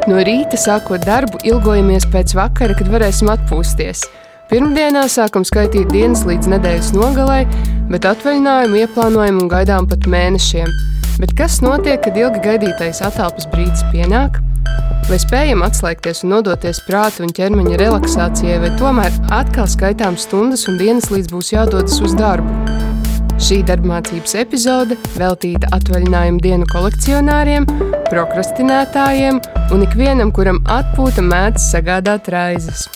No rīta, sākot darbu, ilgojamies pēc vakara, kad varēsim atpūsties. Pirmdienā sākam skaitīt dienas līdz nedēļas nogalei, bet atvaļinājumu ieplānojam un gaidām pat mēnešiem. Bet kas notiek, kad ilgi gaidītais atelpas brīdis pienāk? Vai spējam atslēgties un nodoties prāta un ķermeņa relaksācijai, vai tomēr atkal skaitām stundas un dienas līdz būs jādodas uz darbu? Šī darbmācības epizode veltīta atvaļinājumu dienu kolekcionāriem, prokrastinētājiem un ikvienam, kuram atpūta mēdz sagādāt raizes.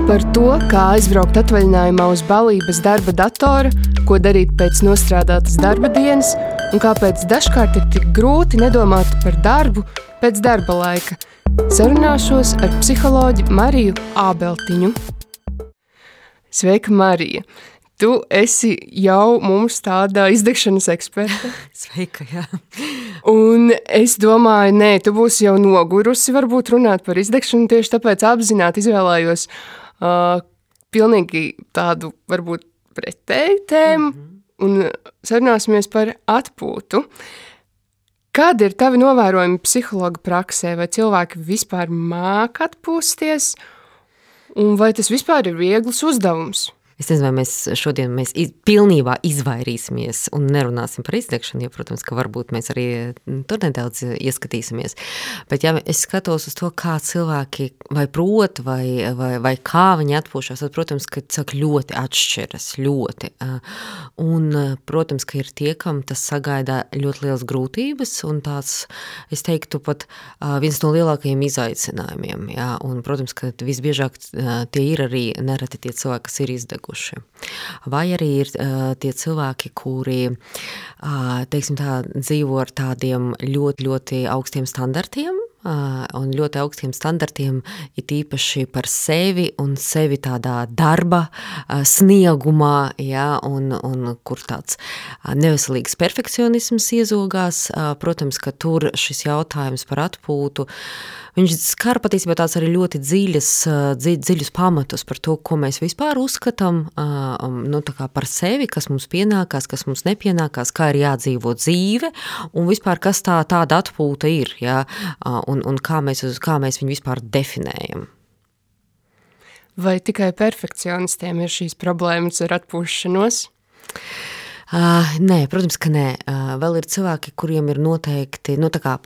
Par to, kā aizbraukt atvaļinājumā uz baliju bez darba datora, ko darīt pēc nostrādātas darba dienas un kāpēc dažkārt ir tik grūti nedomāt par darbu pēc darba laika. Sarunāšos ar psiholoģi Mariju Ābeltiņu. Sveika, Marija! Tu esi jau mums tāda izdegšanas eksperte. Sveika, jā. Un es domāju, tu būsi jau nogurusi varbūt runāt par izdegšanu, tieši tāpēc apzināti izvēlējos pilnīgi tādu varbūt pretēju tēmu un sarunāsimies par atpūtu. Kādi ir tavi novērojumi psihologa praksē? Vai cilvēki vispār māk atpūsties? Un vai tas vispār ir viegls uzdevums? Es nezinu, vai šodien pilnībā izvairīsimies un nerunāsim par izdegšanu, jo, protams, ka varbūt mēs arī tur nedaudz ieskatīsimies. Bet, ja es skatos uz to, kā cilvēki vai prot, vai kā viņi atpūšās, tad, protams, ka ļoti atšķiras, ļoti. Un, protams, ka ir tie, kam tas sagaidā ļoti liels grūtības un tāds, es teiktu, pat viens no lielākajiem izaicinājumiem. Jā? Un, protams, ka visbiežāk tie ir arī nereti tie cilvēki, kas ir izdeguši. Vai arī ir tie cilvēki, kuri, teiksim tā, dzīvo ar tādiem ļoti, ļoti augstiem standartiem, un ļoti augstiem standartiem ir īpaši par sevi un sevi tādā darba sniegumā, ja, un kur tāds neveselīgs perfekcionisms iezogās. Protams, ka tur šis jautājums par atpūtu, viņš skar patiesībā tāds arī ļoti dziļus pamatus par to, ko mēs vispār uzskatām tā kā par sevi, kas mums pienākās, kas mums nepienākās, kā ir jādzīvo dzīve, un vispār kas tāda atpūta ir, ja, un kā mēs viņu vispār definējam. Vai tikai perfekcionistiem ir šīs problēmas ar atpūšanos? Nē, protams, ka nē. Vēl ir cilvēki, kuriem ir noteikti,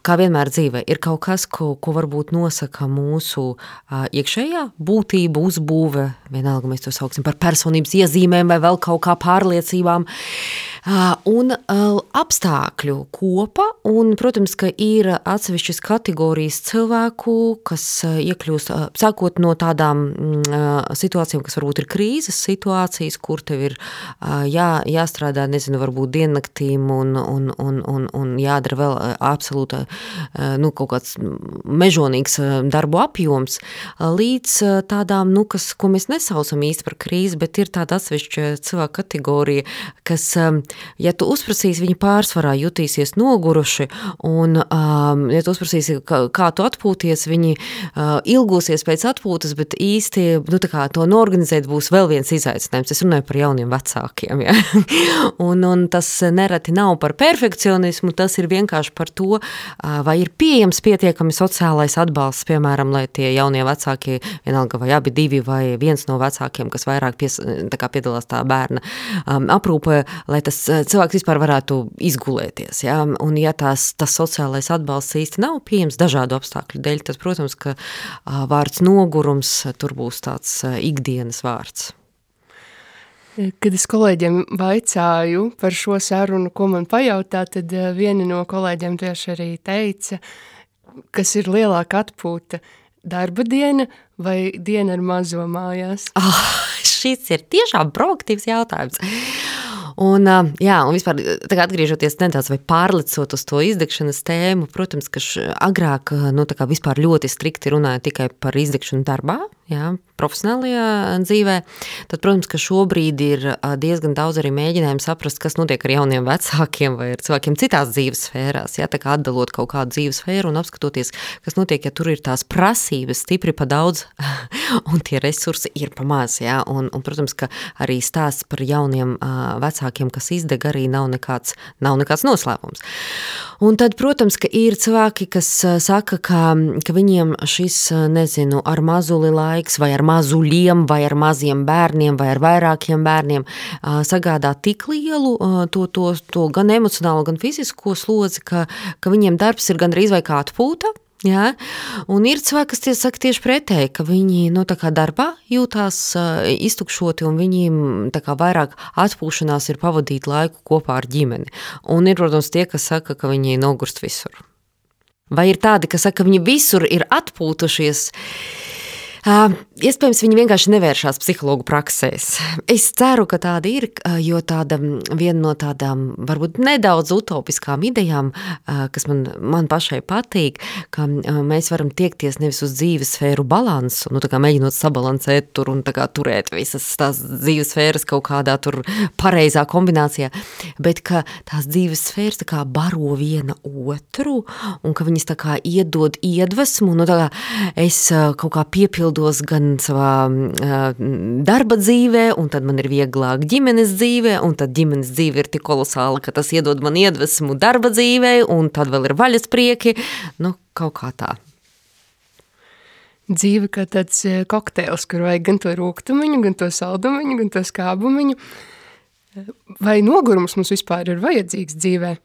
kā vienmēr dzīvē, ir kaut kas, ko varbūt nosaka mūsu iekšējā būtība, uzbūve, vienalga mēs to sauksim par personības iezīmēm vai vēl kaut kā pārliecībām, un apstākļu kopa, un, protams, ka ir atsevišķas kategorijas cilvēku, kas iekļūst, sākot no tādām situācijām, kas varbūt ir krīzes situācijas, kur tev ir jāstrādā, nezinu, varbūt diennaktīm un jādara vēl absolūta, kaut kāds mežonīgs darbu apjoms, līdz tādām, ko mēs nesaucam īsti par krīzi, bet ir tāda atsevišķa cilvēka kategorija, kas, ja tu uzprasīsi, viņi pārsvarā jutīsies noguruši, un, ja tu uzprasīsi, kā tu atpūties, viņi ilgosies pēc atpūtas, bet īsti, to norganizēt būs vēl viens izaicinājums. Es runāju par jauniem vecākiem, ja? Un tas nereti nav par perfekcionismu, tas ir vienkārši par to, vai ir pieejams pietiekami sociālais atbalsts, piemēram, lai tie jaunie vecāki, vienalga vai abi divi, vai viens no vecākiem, kas vairāk piedalās tā bērna aprūpē, lai tas cilvēks vispār varētu izgulēties. Ja? Un ja tas sociālais atbalsts īsti nav pieejams dažādu apstākļu dēļ, tad, protams, ka vārds nogurums tur būs tāds ikdienas vārds. Kad es kolēģiem vaicāju par šo sarunu, ko man pajautā, tad viena no kolēģiem tieši arī teica, kas ir lielāka atpūta, darba diena vai diena ar mazo mājās? Šis ir tiešām proaktīvs jautājums. Un vispār tagad atgriežoties nedaudz vai pārlecot uz to izdegšanas tēmu, protams, ka agrāk, vispār ļoti strikti runāja tikai par izdegšanu darbā, profesionālajā dzīvē, tad, protams, ka šobrīd ir diezgan daudz arī mēģinājumu saprast, kas notiek ar jauniem vecākiem vai ar cilvēkiem citās dzīves sfērās, tā kā atdalot kaut kādu dzīves sfēru un apskatoties, kas notiek, ja tur ir tās prasības stipri pa daudz un tie resursi ir pa maz, un, protams, ka arī stāsts par jauniem vecākiem vecākiem, kas izdeg, arī nav nekāds noslēpums. Un tad, protams, ka ir cilvēki, kas saka, ka viņiem šis, nezinu, ar mazuli laiks, vai ar mazuļiem, vai ar maziem bērniem, vai ar vairākiem bērniem sagādā tik lielu to gan emocionālo, gan fizisko slodzi, ka viņiem darbs ir gandrīz vai kā atpūta. Jā, un ir cilvēki, kas saka tieši pretēji, ka viņi tā kā darbā jūtās iztukšoti un viņiem tā kā vairāk atpūšanās ir pavadīt laiku kopā ar ģimeni. Un ir, protams, tie, kas saka, ka viņi nogurst visur. Vai ir tādi, kas saka, ka viņi visur ir atpūtušies? Iespējams, viņi vienkārši nevēršās psihologu praksēs. Es ceru, ka tāda ir, jo viena no tādām varbūt nedaudz utopiskām idejām, kas man pašai patīk, ka mēs varam tiekties nevis uz dzīves sfēru balansu, tā kā mēģinot sabalansēt tur un tā kā turēt visas tās dzīves sfēras kaut kādā tur pareizā kombinācijā, bet ka tās dzīves sfēras tā kā baro viena otru un ka viņas tā kā iedod iedvesmu, tā kā es kaut kā piepildos gan savā darba dzīvē, un tad man ir vieglāk ģimenes dzīvē, un tad ģimenes dzīve ir tik kolosāla, ka tas iedod man iedvesmu darba dzīvē, un tad vēl ir vaļasprieki, kaut kā tā. Dzīve kā tāds kokteils, kur vajag gan to rūgtumiņu, gan to saldumiņu, gan to skābumiņu. Vai nogurums mums vispār ir vajadzīgs dzīvē?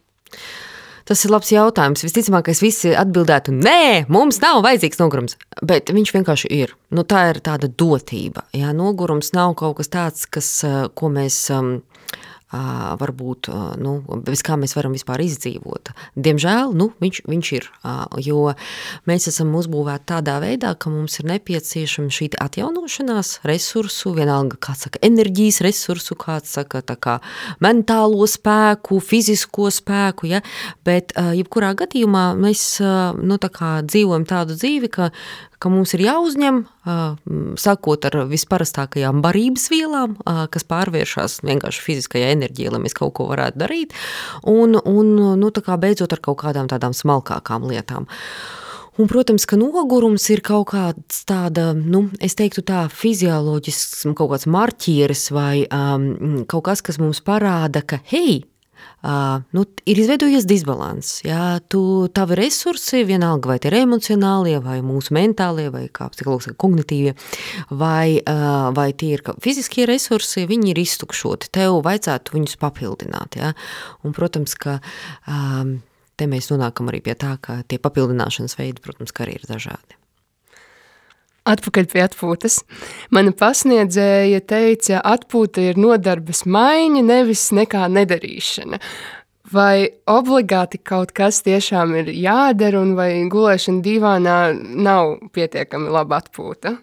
Tas ir labs jautājums. Visticamākais visi atbildētu, nē, mums nav vajadzīgs nogurums, bet viņš vienkārši ir. Tā ir tāda dotība. Jā, nogurums nav kaut kas tāds, ko mēs varbūt, bez kā mēs varam vispār izdzīvot. Diemžēl, viņš ir, jo mēs esam uzbūvēti tādā veidā, ka mums ir nepieciešama šī atjaunošanās resursu, vienalga, kāds saka, enerģijas resursu, kāds saka, tā kā mentālo spēku, fizisko spēku, ja, bet jebkurā gadījumā mēs, tā kā dzīvojam tādu dzīvi, ka mums ir jāuzņem, sākot ar visparastākajām barības vielām, kas pārvēršas vienkārši fiziskajā enerģijā, lai mēs kaut ko varētu darīt, un tā kā beidzot ar kaut kādām tādām smalkākām lietām. Un, protams, ka nogurums ir kaut kāds tāda, es teiktu tā, fizioloģisks kaut kāds marķieris vai kaut kas mums parāda, ka, hei, ir izveidojies disbalans. Jā, tavi resursi, vienalga vai tie ir emocionālie, vai mūsu mentālie, vai kā psihologs saka, kognitīvie, vai tie ir fiziskie resursi, viņi ir iztukšoti. Tev vajadzētu viņus papildināt. Jā. Un, protams, ka te mēs nonākam arī pie tā, ka tie papildināšanas veidi, protams, ka arī ir dažādi. Atpakaļ pie atpūtas. Mana pasniedzēja teica, atpūta ir nodarbes maiņa, nevis nekā nedarīšana. Vai obligāti kaut kas tiešām ir jādara, un vai gulēšana divānā nav pietiekami laba atpūta?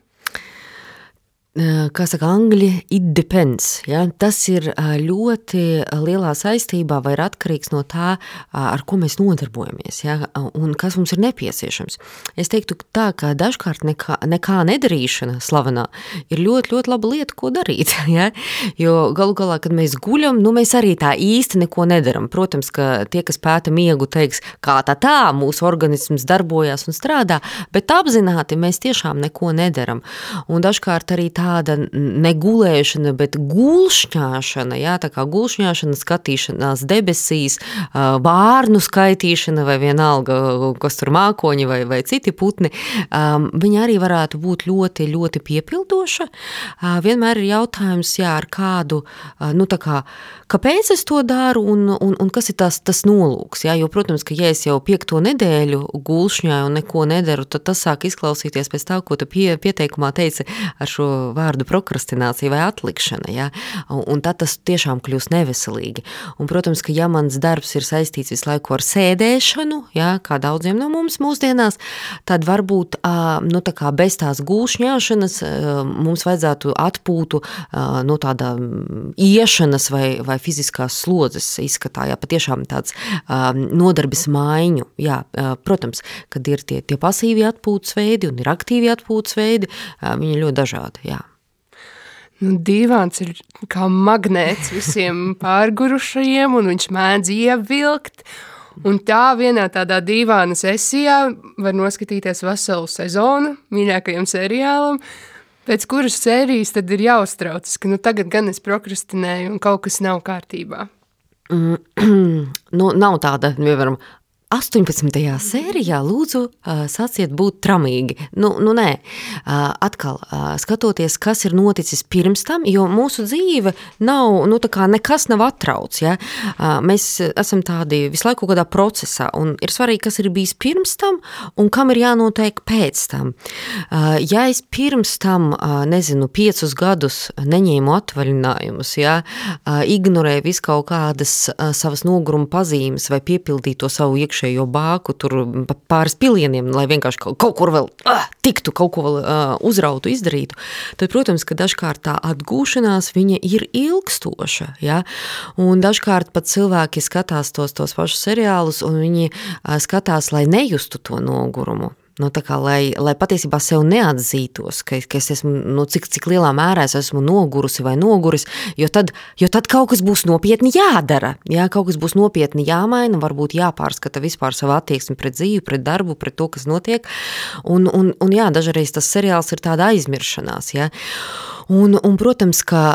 Kā saka angļi, it depends. Ja? Tas ir ļoti lielā saistībā vai ir atkarīgs no tā, ar ko mēs nodarbojamies, ja? Un kas mums ir nepieciešams. Es teiktu tā, ka dažkārt nekā nedarīšana slavenā ir ļoti, ļoti laba lieta, ko darīt. Ja? Jo galu galā, kad mēs guļam, mēs arī tā īsti neko nedaram. Protams, ka tie, kas pēta miegu, teiks, kā tā mūsu organisms darbojas un strādā, bet apzināti mēs tiešām neko nedaram. Un dažkārt arī tāda negulēšana, bet gulšņāšana, jā, tā kā gulšņāšana, skatīšanās debesīs, vārnu skaitīšana vai vienalga, kas tur mākoņi vai citi putni, viņa arī varētu būt ļoti, ļoti piepildoša. Vienmēr ir jautājums, jā, ar kādu, tā kā, kāpēc es to daru un kas ir tas nolūks, jā, jo, protams, ka ja es jau 5. nedēļu gulšņāju un neko nedaru, tad tas sāk izklausīties pēc tā, ko tu pieteikumā teici ar šo vārdu prokrastinācija vai atlikšana, ja? Un tad tas tiešām kļūst neveselīgi. Un, protams, ka ja mans darbs ir saistīts visu laiku ar sēdēšanu, ja, kā daudziem no mums mūsdienās, tad varbūt tā kā bez tās gulšņāšanas mums vajadzētu atpūtu no tāda iešanas vai fiziskās slodzes izskatā, ja, patiešām tāds nodarbes maiņu. Jā, protams, kad ir tie pasīvi atpūtas veidi un ir aktīvi atpūtas veidi, viņi ir ļoti dažādi, jā. Dīvāns ir kā magnēts visiem pārgurušajiem, un viņš mēdz ievilkt. Un tā vienā tādā dīvāna sesijā var noskatīties veselu sezonu mīļākajam seriālam. Pēc kuras sērijas tad ir jāuztraucas, ka tagad gan es prokrastinēju un kaut kas nav kārtībā? Nav tāda, piemēram, 18. sērijā lūdzu sāciet būt tramīgi. Nē. Atkal, skatoties, kas ir noticis pirms tam, jo mūsu dzīve nav, tā kā nekas nav atrauc, ja? Mēs esam tādi visu laiku kādā procesā, un ir svarīgi, kas ir bijis pirms tam, un kam ir jānotiek pēc tam. Ja es pirms tam, 5 gadus neņēmu atvaļinājumus, ja? Ignorēju visu kaut kādas savas noguruma pazīmes vai piepildīju to savu iekšējo bāku tur pāris pilieniem, lai vienkārši kaut kur vēl tiktu, kaut ko vēl uzrautu, izdarītu, tad, protams, ka dažkārt tā atgūšanās viņa ir ilgstoša, ja? Un dažkārt pat cilvēki skatās tos pašus seriālus, un viņi skatās, lai nejustu to nogurumu. Tā kā, lai patiesībā sev neatzītos, ka es esmu, cik lielā mērā es esmu nogurusi vai noguris, jo tad kaut kas būs nopietni jādara, jā, kaut kas būs nopietni jāmaina, varbūt jāpārskata vispār savu attieksmi pret dzīvi, pret darbu, pret to, kas notiek, un jā, dažreiz tas seriāls ir tāda aizmiršanās, jā. Un, protams, ka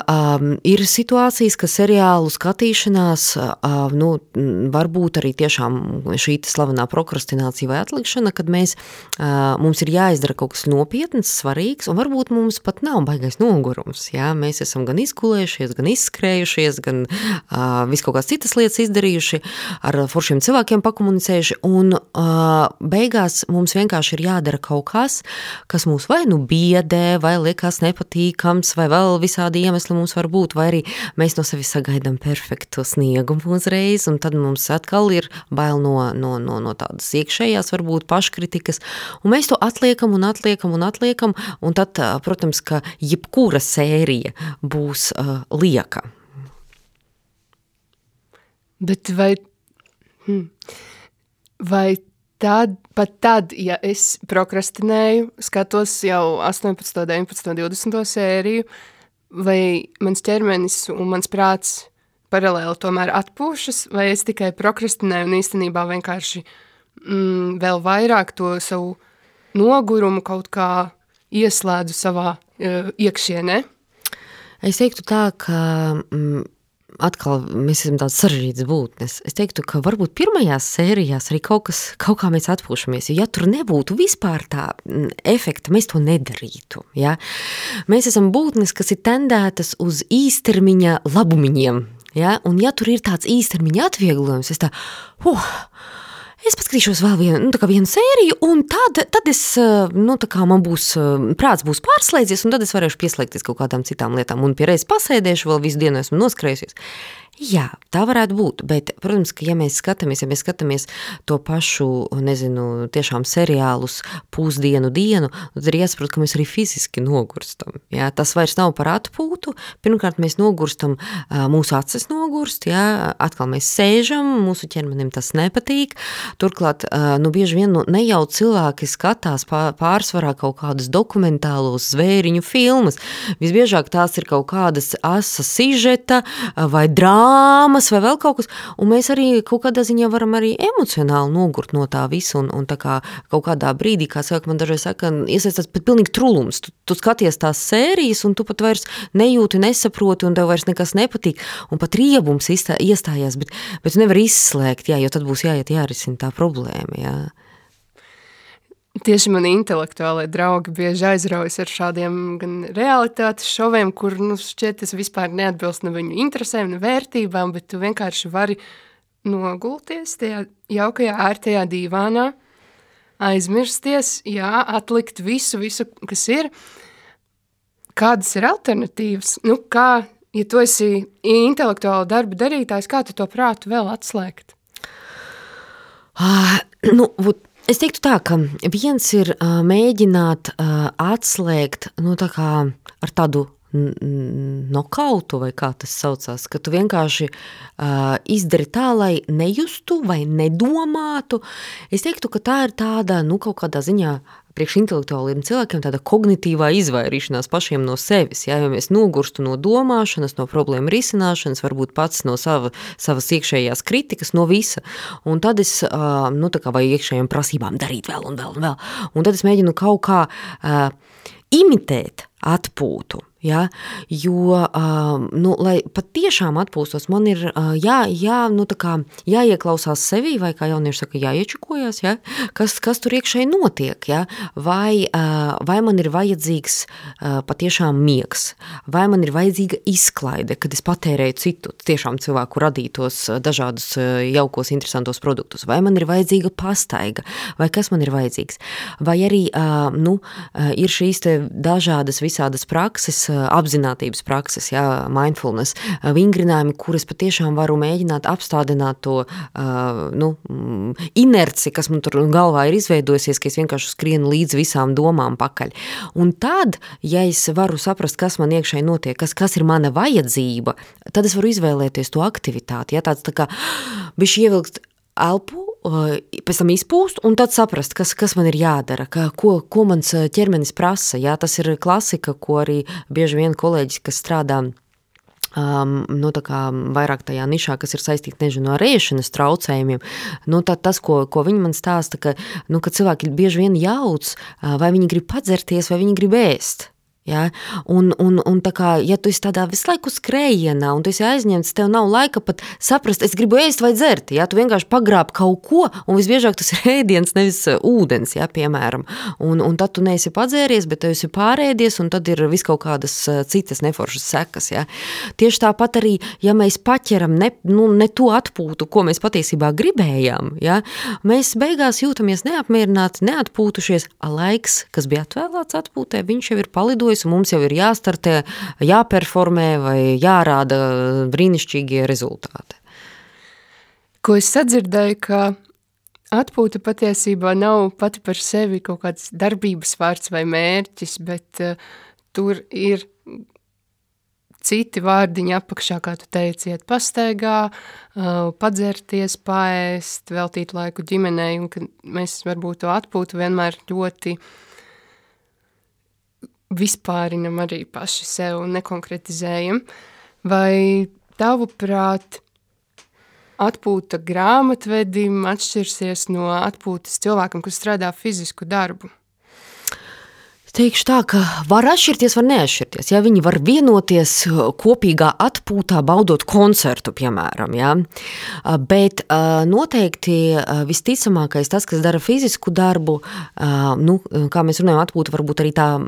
ir situācijas, ka seriālu skatīšanās, varbūt arī tiešām šī slavenā prokrastinācija vai atlikšana, kad mums ir jāizdara kaut kas nopietns, svarīgs, un varbūt mums pat nav baigais nogurums, jā, mēs esam gan izgulējušies, gan izskrējušies, gan visu kaut kādas citas lietas izdarījuši, ar foršiem cilvēkiem pakomunicējuši, un beigās mums vienkārši ir jādara kaut kas mūs vai biedē, vai liekas nepatīkams, vai vēl visādi iemesli mums var būt, vai arī mēs no sevis sagaidām perfektu sniegumu uzreiz, un tad mums atkal ir bail no tādas iekšējās, varbūt paškritikas, un mēs to atliekam, un tad, protams, ka jebkura sērija būs lieka. Bet vai pat tad, ja es prokrastinēju, skatos jau 18, 19, 20 sēriju, vai mans ķermenis un mans prāts paralēli tomēr atpūšas, vai es tikai prokrastinēju un īstenībā vienkārši vēl vairāk to savu nogurumu kaut kā ieslēdzu savā iekšienē? Es teiktu tā, ka atkal mēs esam tāds sarežģīts būtnes. Es teiktu, ka varbūt pirmajās sērijās arī kaut kā mēs atpūšamies, jo ja tur nebūtu vispār tā efekta, mēs to nedarītu. Ja? Mēs esam būtnes, kas ir tendētas uz īstermiņa labumiņiem. Ja? Un ja tur ir tāds īstermiņa atvieglojums, es paskatīšos vēl vienu sēriju, un tad es, man būs, prāts būs pārslēdzies, un tad es varēšu pieslēgties kaut kādām citām lietām, un pie reizes pasēdēšu, vēl visu dienu esmu noskrējusies. Jā, tā varētu būt, bet, protams, ka ja mēs skatāmies to pašu, tiešām seriālus pusdienu, tad ir jāsaprot, ka mēs arī fiziski nogurstam. Jā, tas vairs nav par atpūtu. Pirmkārt, mēs nogurstam, mūsu acis nogurst, jā, atkal mēs sēžam, mūsu ķermenim tas nepatīk. Turklāt, bieži vien ne jau cilvēki skatās pārsvarā kaut kādas dokumentālos zvēriņu filmas. Visbiežāk tās ir kaut kādas asa sižeta vai drāmas vai vēl kaut kas, un mēs arī kaut kādā ziņā varam arī emocionāli nogurt no tā visu, un tā kā kaut kādā brīdī, kā man dažreiz saka, iesaistās pat pilnīgi trulums. Tu skaties tās sērijas, un tu pat vairs nejūti, nesaproti, un tev vairs nekas nepatīk, un pat riebums iestājās, bet tu nevar izslēgt, jā, jo tad būs jārisina tā problēma, jā. Tieši mani intelektuālai draugi bieži aizraujas ar šādiem gan realitātes šoviem, kur, šķiet, tas vispār neatbilst ne viņu interesēm, ne vērtībām, bet tu vienkārši vari nogulties tajā jaukajā, ērtajā dīvānā, aizmirsties, jā, atlikt visu, kas ir. Kādas ir alternatīvas? Kā, ja tu esi intelektuāla darba darītājs, kā tu to prātu vēl atslēgt? Es teiktu tā, ka viens ir mēģināt atslēgt, tā kā ar tādu nokautu, vai kā tas saucās, ka tu vienkārši izdari tā, lai nejustu vai nedomātu. Es teiktu, ka tā ir tāda, kaut kādā ziņā priekš intelektuāliem cilvēkiem tāda kognitīvā izvairīšanās pašiem no sevis, ja mēs nogurstu no domāšanas, no problēmu risināšanas, varbūt pats no savas iekšējās kritikas, no visa. Un tad es, tā kā vai iekšējām prasībām darīt vēl un vēl un vēl. Un tad es mēģinu kaut kā imitēt atpūtu. Ja, jo, lai pat tiešām atpūstos, man ir jāieklausās sevī, vai kā jaunieši saka, jāiečukojās, ja, kas tur iekšēji notiek, ja, vai man ir vajadzīgs patiešām miegs, vai man ir vajadzīga izklaide, kad es patērēju citu, tiešām cilvēku radītos dažādus jaukos, interesantos produktus, vai man ir vajadzīga pastaiga, vai kas man ir vajadzīgs, vai arī, ir šīs te dažādas visādas prakses, apzinātības prakses, mindfulness, vingrinājumi, kuras patiešām varu mēģināt apstādināt to inerci, kas man tur galvā ir izveidojusies, ka es vienkārši skrienu līdz visām domām pakaļ. Un tad, ja es varu saprast, kas man iekšēji notiek, kas ir mana vajadzība, tad es varu izvēlēties to aktivitāti. Ja, tāds tā kā bišķi ievilkt elpu, pēc tam izpūst un tad saprast, kas man ir jādara, ko mans ķermenis prasa. Jā, tas ir klasika, ko arī bieži vien kolēģis, kas strādā tā kā vairāk tajā nišā, kas ir saistīti, nezinu, ar ēšanas traucējumiem, tas, ko viņi man stāsta, ka cilvēki bieži vien jauc, vai viņi grib padzerties, vai viņi grib ēst. Ja? Un tā kā, ja tu esi tādā visu laiku skrējienā un tu esi aizņemts, tev nav laika pat saprast, es gribu ēst vai dzert, ja? Tu vienkārši pagrāb kaut ko, un visbiežāk tas ir ēdiens, nevis ūdens, ja, piemēram. Un tad tu neesi padzēries, bet tu esi pārēdies, un tad ir vis kaut kādas citas neforšas sekas. Ja? Tieši tāpat arī, ja mēs paķeram ne to atpūtu, ko mēs patiesībā gribējām, ja? Mēs beigās jūtamies neapmierināti, neatpūtušies, laiks, kas bija atvēlēts atpūtē, viņš jau ir palidojis, un mums jau ir jāstartē, jāperformē vai jārāda brīnišķīgie rezultāti. Ko es sadzirdēju, ka atpūta patiesībā nav pati par sevi kaut kāds darbības vārds vai mērķis, bet tur ir citi vārdiņi apakšā, kā tu teici, iet pastaigā, padzerties, paēst, veltīt laiku ģimenei, un ka mēs varbūt to atpūtu vienmēr ļoti vispārinam arī paši sev un nekonkretizējam. Vai tavuprāt atpūta grāmatvedim atšķirsies no atpūtas cilvēkam, kas strādā fizisku darbu? Teikšu tā, ka var atšķirties, var neatšķirties. Ja? Viņi var vienoties kopīgā atpūtā, baudot koncertu, piemēram. Ja? Bet noteikti visticamākais tas, kas dara fizisku darbu, kā mēs runājam, atpūta varbūt arī tā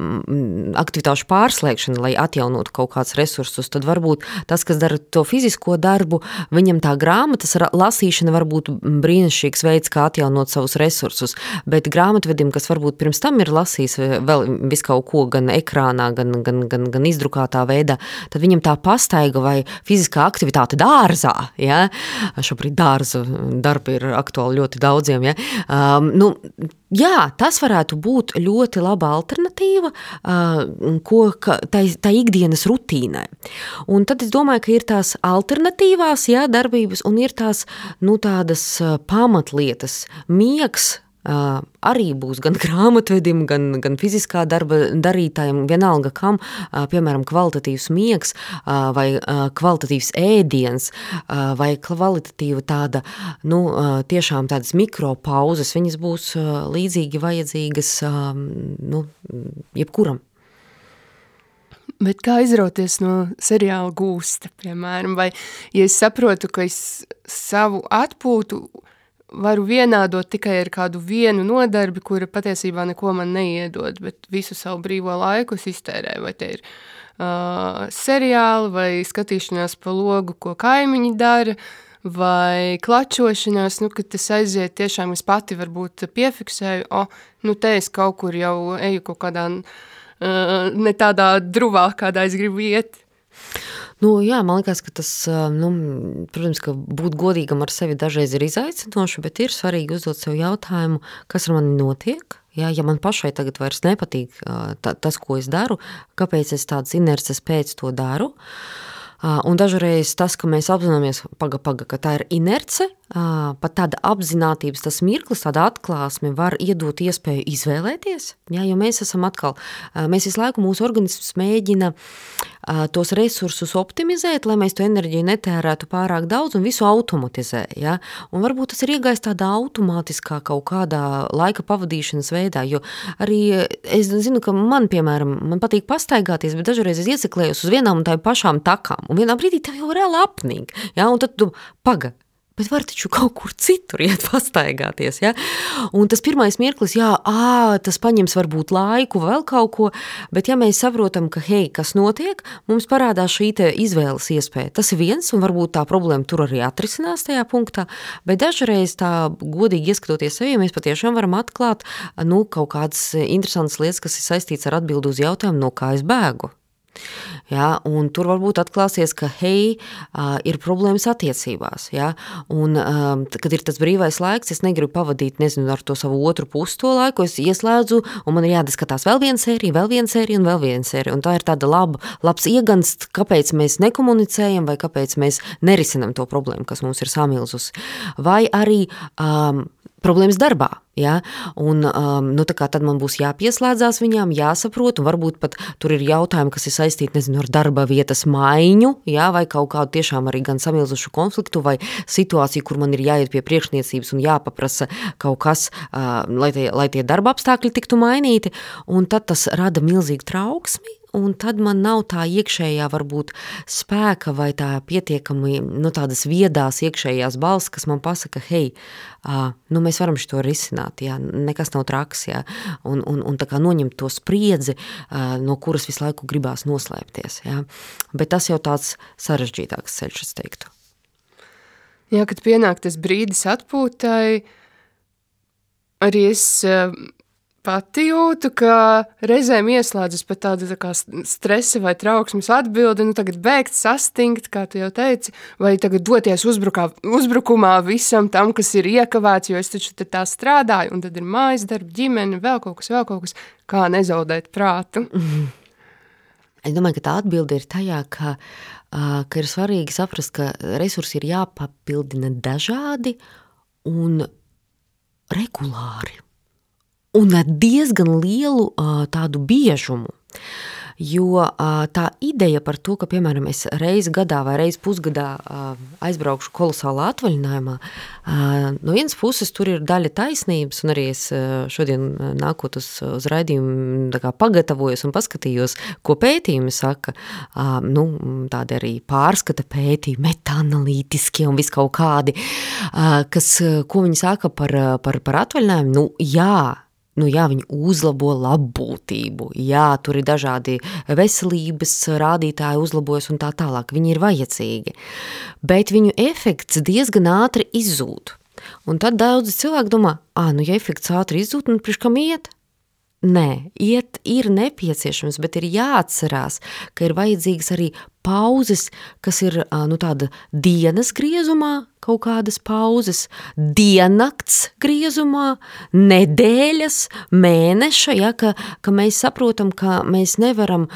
aktivitāšu pārslēgšana, lai atjaunotu kaut kāds resursus, tad varbūt tas, kas dara to fizisko darbu, viņam tā grāmatas lasīšana var būt brīnišķīgs veids, kā atjaunot savus resursus. Bet grāmatvedim, kas varbūt pirms tam ir lasījis vēl visu kaut ko gan ekrānā, gan izdrukātā veidā, tad viņam tā pastaiga vai fiziskā aktivitāte dārzā, ja? Šobrīd dārza darbi ir aktuāli ļoti daudziem, ja? Jā, tas varētu būt ļoti laba alternatīva tā ikdienas rutīnai. Un tad es domāju, ka ir tās alternatīvās, jā, darbības un ir tās, tādas pamatlietas, miegs, arī būs gan grāmatvedim, gan fiziskā darba darītājiem, vienalga kam, piemēram, kvalitatīvs miegs vai kvalitatīvs ēdiens vai kvalitatīva tāda, tiešām tādas mikropauzes, viņas būs līdzīgi vajadzīgas, jebkuram. Bet kā izrauties no seriāla Gūsta, piemēram, vai ja es saprotu, ka es savu atpūtu varu vienādot tikai ar kādu vienu nodarbi, kura patiesībā neko man neiedod, bet visu savu brīvo laiku es iztērēju, vai te ir seriāli, vai skatīšanās pa logu, ko kaimiņi dara, vai klačošanās, kad tas aiziet tiešām es pati varbūt piefiksēju, te es kaut kur jau eju kaut kādā ne tādā druvā, kādā es gribu iet. Jā, man liekas, ka tas, protams, ka būt godīgam ar sevi dažreiz ir izaicinoši, bet ir svarīgi uzdot sev jautājumu, kas ar mani notiek. Ja man pašai tagad vairs nepatīk tas, ko es daru, kāpēc es tādas inerces pēc to daru. Un dažreiz tas, ka mēs apzināmies, ka tā ir inerce, pat tāda apzinātības tas mirklis, tāda atklāsme var iedot iespēju izvēlēties, ja, jo mēs esam atkal, mēs visu laiku mūsu organisms mēģina tos resursus optimizēt, lai mēs to enerģiju netērētu pārāk daudz un visu automatizē, ja, un varbūt tas ir iegājis tādā automātiskā kaut kādā laika pavadīšanas veidā, jo arī es zinu, ka man, piemēram, man patīk pastaigāties, bet dažreiz es ieciklējos uz vienām un tā pašām takām, un vienā brīdī tev jau reāli apnīk, ja, un tad tu bet var taču kaut kur citur iet pastaigāties, ja? Un tas pirmais mirklis, tas paņems varbūt laiku, vēl kaut ko, bet ja mēs saprotam, ka, hei, kas notiek, mums parādās šī te izvēles iespēja. Tas ir viens, un varbūt tā problēma tur arī atrisinās tajā punktā, bet dažreiz tā godīgi ieskatoties sevi, mēs patiešām varam atklāt, kaut kādas interesantas lietas, kas ir saistīts ar atbildu uz jautājumu, no kā es bēgu. Ja, un tur varbūt atklāsies, ka, hei, ir problēmas attiecībās, ja, un kad ir tas brīvais laiks, es negribu pavadīt, ar to savu otru pusi to laiku, es ieslēdzu, un man ir jādiskatās vēl viena sērija, un tā ir tāda labs iegansts, kāpēc mēs nekomunicējam, vai kāpēc mēs nerisinam to problēmu, kas mums ir samilzusi, vai arī problēmas darbā, ja, un tad man būs jāpieslēdzās viņām, jāsaprot, un varbūt pat tur ir jautājumi, kas ir saistīti, ar darba vietas maiņu, ja, vai kaut kādu tiešām arī gan samilzušu konfliktu, vai situāciju, kur man ir jāiet pie priekšniecības un jāpaprasa kaut kas, lai tie darba apstākļi tiktu mainīti, un tad tas rada milzīgu trauksmi, un tad man nav tā iekšējā varbūt spēka vai tā pietiekami, tādas viedās iekšējās balss, kas man pasaka, hei, mēs varam šito risināt, jā, nekas nav traks, jā, un tā kā noņemt to spriedzi, no kuras visu laiku gribās noslēpties, jā. Bet tas jau tāds sarežģītāks ceļš, es teiktu. Jā, kad pienāk tas brīdis atpūtai, arī es pati jūtu, ka reizēm ieslēdzas pat tāda tā kā stresa vai trauksmes atbildi, tagad bēgt, sastingt, kā tu jau teici, vai tagad doties uzbrukumā visam tam, kas ir iekavēts, jo es taču tā strādāju, un tad ir mājas darba, ģimene, vēl kaut kas, kā nezaudēt prātu. Es domāju, ka tā atbilde ir tajā, ka ir svarīgi saprast, ka resursi ir jāpapildina dažādi un regulāri. Un ar diezgan lielu tādu biežumu, jo tā ideja par to, ka, piemēram, es reizi gadā vai reizi pusgadā aizbraukšu kolosālā atvaļinājumā, no vienas puses tur ir daļa taisnības, un arī es šodien nākot uz raidījumu tā kā pagatavojos un paskatījos, ko pētījumi saka, tādi arī pārskata pētījumi, metaanalītiskie un viskaut kādi, ko viņi saka par atvaļinājumu, jā, viņi uzlabo labbūtību, jā, tur ir dažādi veselības rādītāji uzlabojas un tā tālāk, viņi ir vajadzīgi, bet viņu efekts diezgan ātri izzūd. Un tad daudzi cilvēki domā, ja efekts ātri izzūd, priekš kam iet? Nē, iet ir nepieciešams, bet ir jāatcerās, ka ir vajadzīgas arī pauzes, kas ir tāda dienas griezumā, kaut kādas pauzes, diennakts griezumā, nedēļas, mēneša, ja, ka mēs saprotam, ka mēs nevaram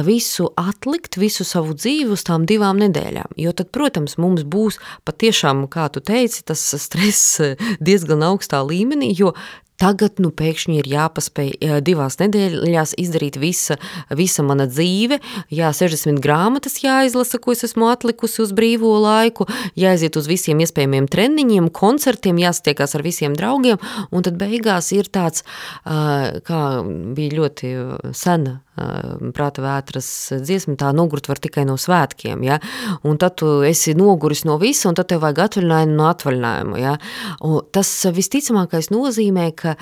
visu atlikt, visu savu dzīvi uz tām 2 nedēļām, jo tad, protams, mums būs patiešām, kā tu teici, tas stress diezgan augstā līmenī, jo tagad, pēkšņi ir jāpaspēj 2 nedēļās izdarīt visa mana dzīve, 60 grāmatas jāizlasa, ko es esmu atlikusi uz brīvo laiku, jāaiziet uz visiem iespējamiem treniņiem, koncertiem, jāsatiekās ar visiem draugiem, un tad beigās ir tāds, kā bija ļoti sena prāta vētras dziesma, tā nogurt var tikai no svētkiem, ja, un tad tu esi noguris no visa, un tad tev vajag atvaļinājumu no atvaļinājumu, ja, un tas visticamākais nozīmē, ka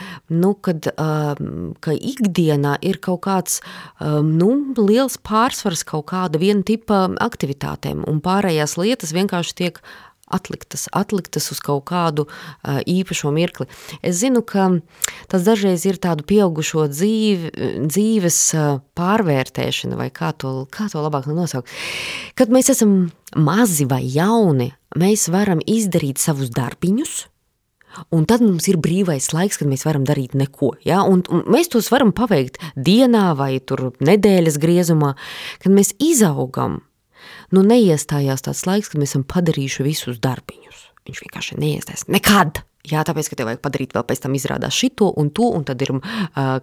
ikdienā ir kaut kāds, liels pārsvars kaut kāda viena tipa aktivitātēm, un pārējās lietas vienkārši tiek atliktas uz kaut kādu īpašo mirkli. Es zinu, ka tas dažreiz ir tādu pieaugušo dzīves pārvērtēšana, vai kā to labāk nosaukt. Kad mēs esam mazi vai jauni, mēs varam izdarīt savus darbiņus, un tad mums ir brīvais laiks, kad mēs varam darīt neko, ja? Un mēs tos varam paveikt dienā vai tur nedēļas griezumā, kad mēs izaugam. Neiestājās tāds laiks, kad mēs esam padarījuši visus darbiņus. viņš vienkārši neiestais nekad. Jā, tāpēc, ka tev vajag padarīt vēl pēc tam izrādās šito un to, un tad ir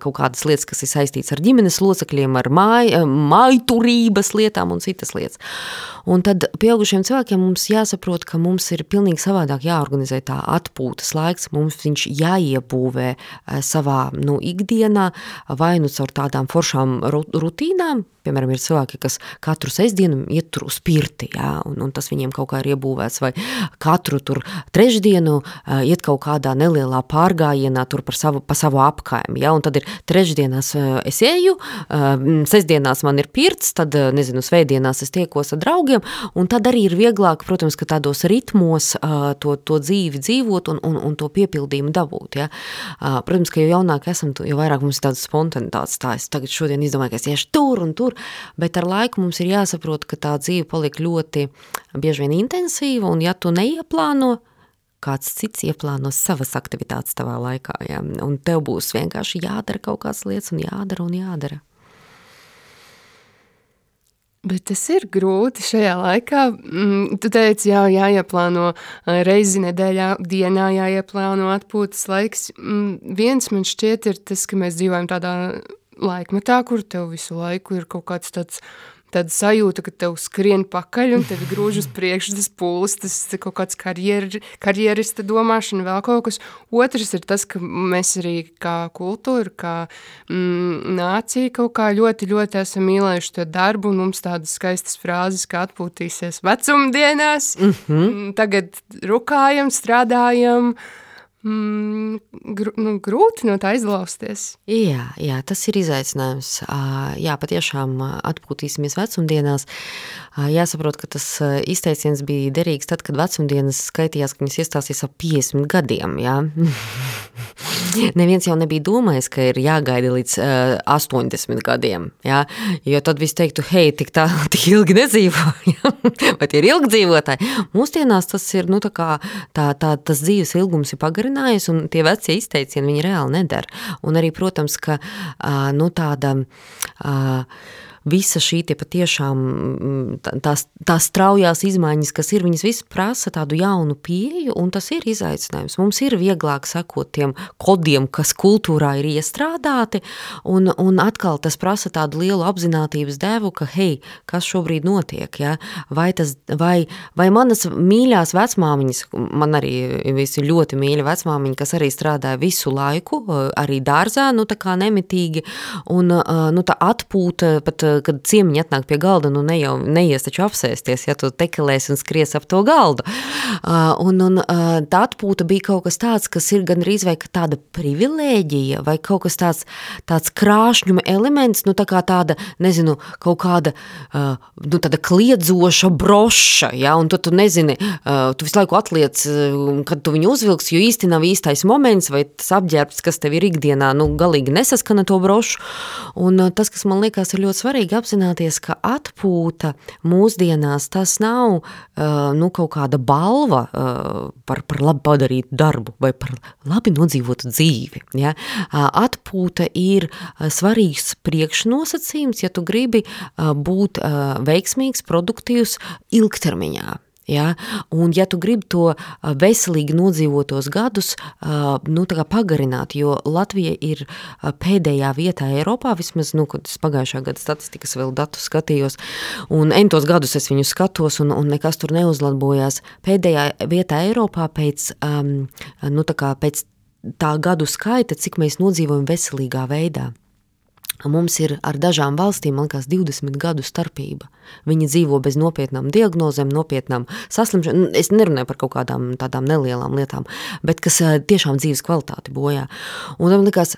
kaut kādas lietas, kas ir saistīts ar ģimenes locekļiem, ar mājturības lietām un citas lietas. Un tad pieaugušiem cilvēkiem mums jāsaprot, ka mums ir pilnīgi savādāk jāorganizē tā atpūtas laiks, mums viņš jāiebūvē savā ikdienā, vai caur tādām foršām rutīnām. Piemēram, ir cilvēki, kas katru sestdienu iet tur uz pirti, jā, un tas viņiem kaut kā ir iebūvēts, vai katru tur trešdienu iet kaut kādā nelielā pārgājienā tur pa savu apkaimi, jā, un tad ir trešdienās es eju, sestdienās man ir pirts, tad, nezinu, svētdienās es tiekos ar draugiem, un tad arī ir vieglāk, protams, ka tādos ritmos to dzīvi dzīvot un to piepildījumu dabūt, jā. Protams, ka jo jaunāk esam, jo vairāk mums ir tādas spontanitātes, tā es tagad šodien izdomāju, ka es iešu tur un tur, bet ar laiku mums ir jāsaprot, ka tā dzīve paliek ļoti bieži vien intensīva, un ja tu neieplāno, kāds cits ieplāno savas aktivitātes tavā laikā, ja? Un tev būs vienkārši jādara kaut kādas lietas un jādara. Bet tas ir grūti šajā laikā. Tu teici, jāieplāno reizi nedēļā, dienā jāieplāno atpūtas laiks. Viens man šķiet ir tas, ka mēs dzīvojam tādā laikmetā, kur tev visu laiku ir kaut kāds tāda sajūta, ka tev skrien pakaļ un tevi grūž uz priekšu tas pūlis, tas kaut kāds karjerista domāšana, vēl kaut kas. Otrs ir tas, ka mēs arī kā kultūra, kā nācija kaut kā ļoti, ļoti esam mīlējuši to darbu, un mums tādas skaistas frāzes, kā atpūtīsies vecumdienās, tagad rukājam, strādājam, grūti no tā izlausties. Jā, tas ir izaicinājums. Jā, patiešām atpūtīsimies vecumdienās. Jāsaprot, ka tas izteiciens bija derīgs tad, kad vecumdienas skaitījās, ka viņas iestāsies ap 50 gadiem, jā. Neviens jau nebija domājis, ka ir jāgaida līdz 80 gadiem, jā, jo tad viss teiktu, hei, tik ilgi nedzīvo, jā? Vai tie ir ilgi dzīvotāji? Mūsdienās tas ir, tas dzīves ilgums ir pagarinājies, un tie vecie izteicieni viņi reāli nedara. Un arī, protams, ka, tāda visa šī tie patiešām tās straujās izmaiņas, kas ir, viņas viss prasa tādu jaunu pieeju, un tas ir izaicinājums. Mums ir vieglāk sekot tiem kodiem, kas kultūrā ir iestrādāti, un atkal tas prasa tādu lielu apzinātības devu, ka, hei, kas šobrīd notiek, ja? Vai manas mīļās vecmāmiņas, man arī visi ļoti mīļa vecmāmiņa, kas arī strādāja visu laiku, arī dārzā, tā kā nemitīgi, un tā atpūta, pat kad ciemiņi atnāk pie galda, neies taču apsēsties, ja tu tekelēs un skries ap to galdu. Un tā atpūta bija kaut kas tāds, kas ir gan rīz vai tāda privilēģija, vai kaut kas tāds krāšņuma elements, tā kā tāda, nezinu, kaut kāda, tāda kliedzoša broša, ja, un tu nezini, tu visu laiku atliec, kad tu viņu uzvilks, jo īsti nav īstais moments, vai tas apģērbs, kas tev ir ikdienā, galīgi nesaskana to brošu, un tas, kas man liekas ir ļoti svarīgi apzināties, ka atpūta mūsdienās tas nav kaut kāda balva par labi padarītu darbu vai par labi nodzīvotu dzīvi. Ja? Atpūta ir svarīgs priekšnosacījums, ja tu gribi būt veiksmīgs, produktīvs ilgtermiņā. Ja? Un ja tu gribi to veselīgi nodzīvotos gadus tā kā pagarināt, jo Latvija ir pēdējā vietā Eiropā, vismaz, kad es pagājušā gada statistikas vēl datus skatījos, un entos gadus es viņu skatos, un nekas tur neuzlabojās. Pēdējā vietā Eiropā pēc tā gadu skaita, cik mēs nodzīvojam veselīgā veidā. Mums ir ar dažām valstīm, man liekas, 20 gadu starpība. Viņi dzīvo bez nopietnām diagnozēm, nopietnām saslimšanām. Es nerunāju par kaut kādām tādām nelielām lietām, bet kas tiešām dzīves kvalitāti bojā. Un man liekas,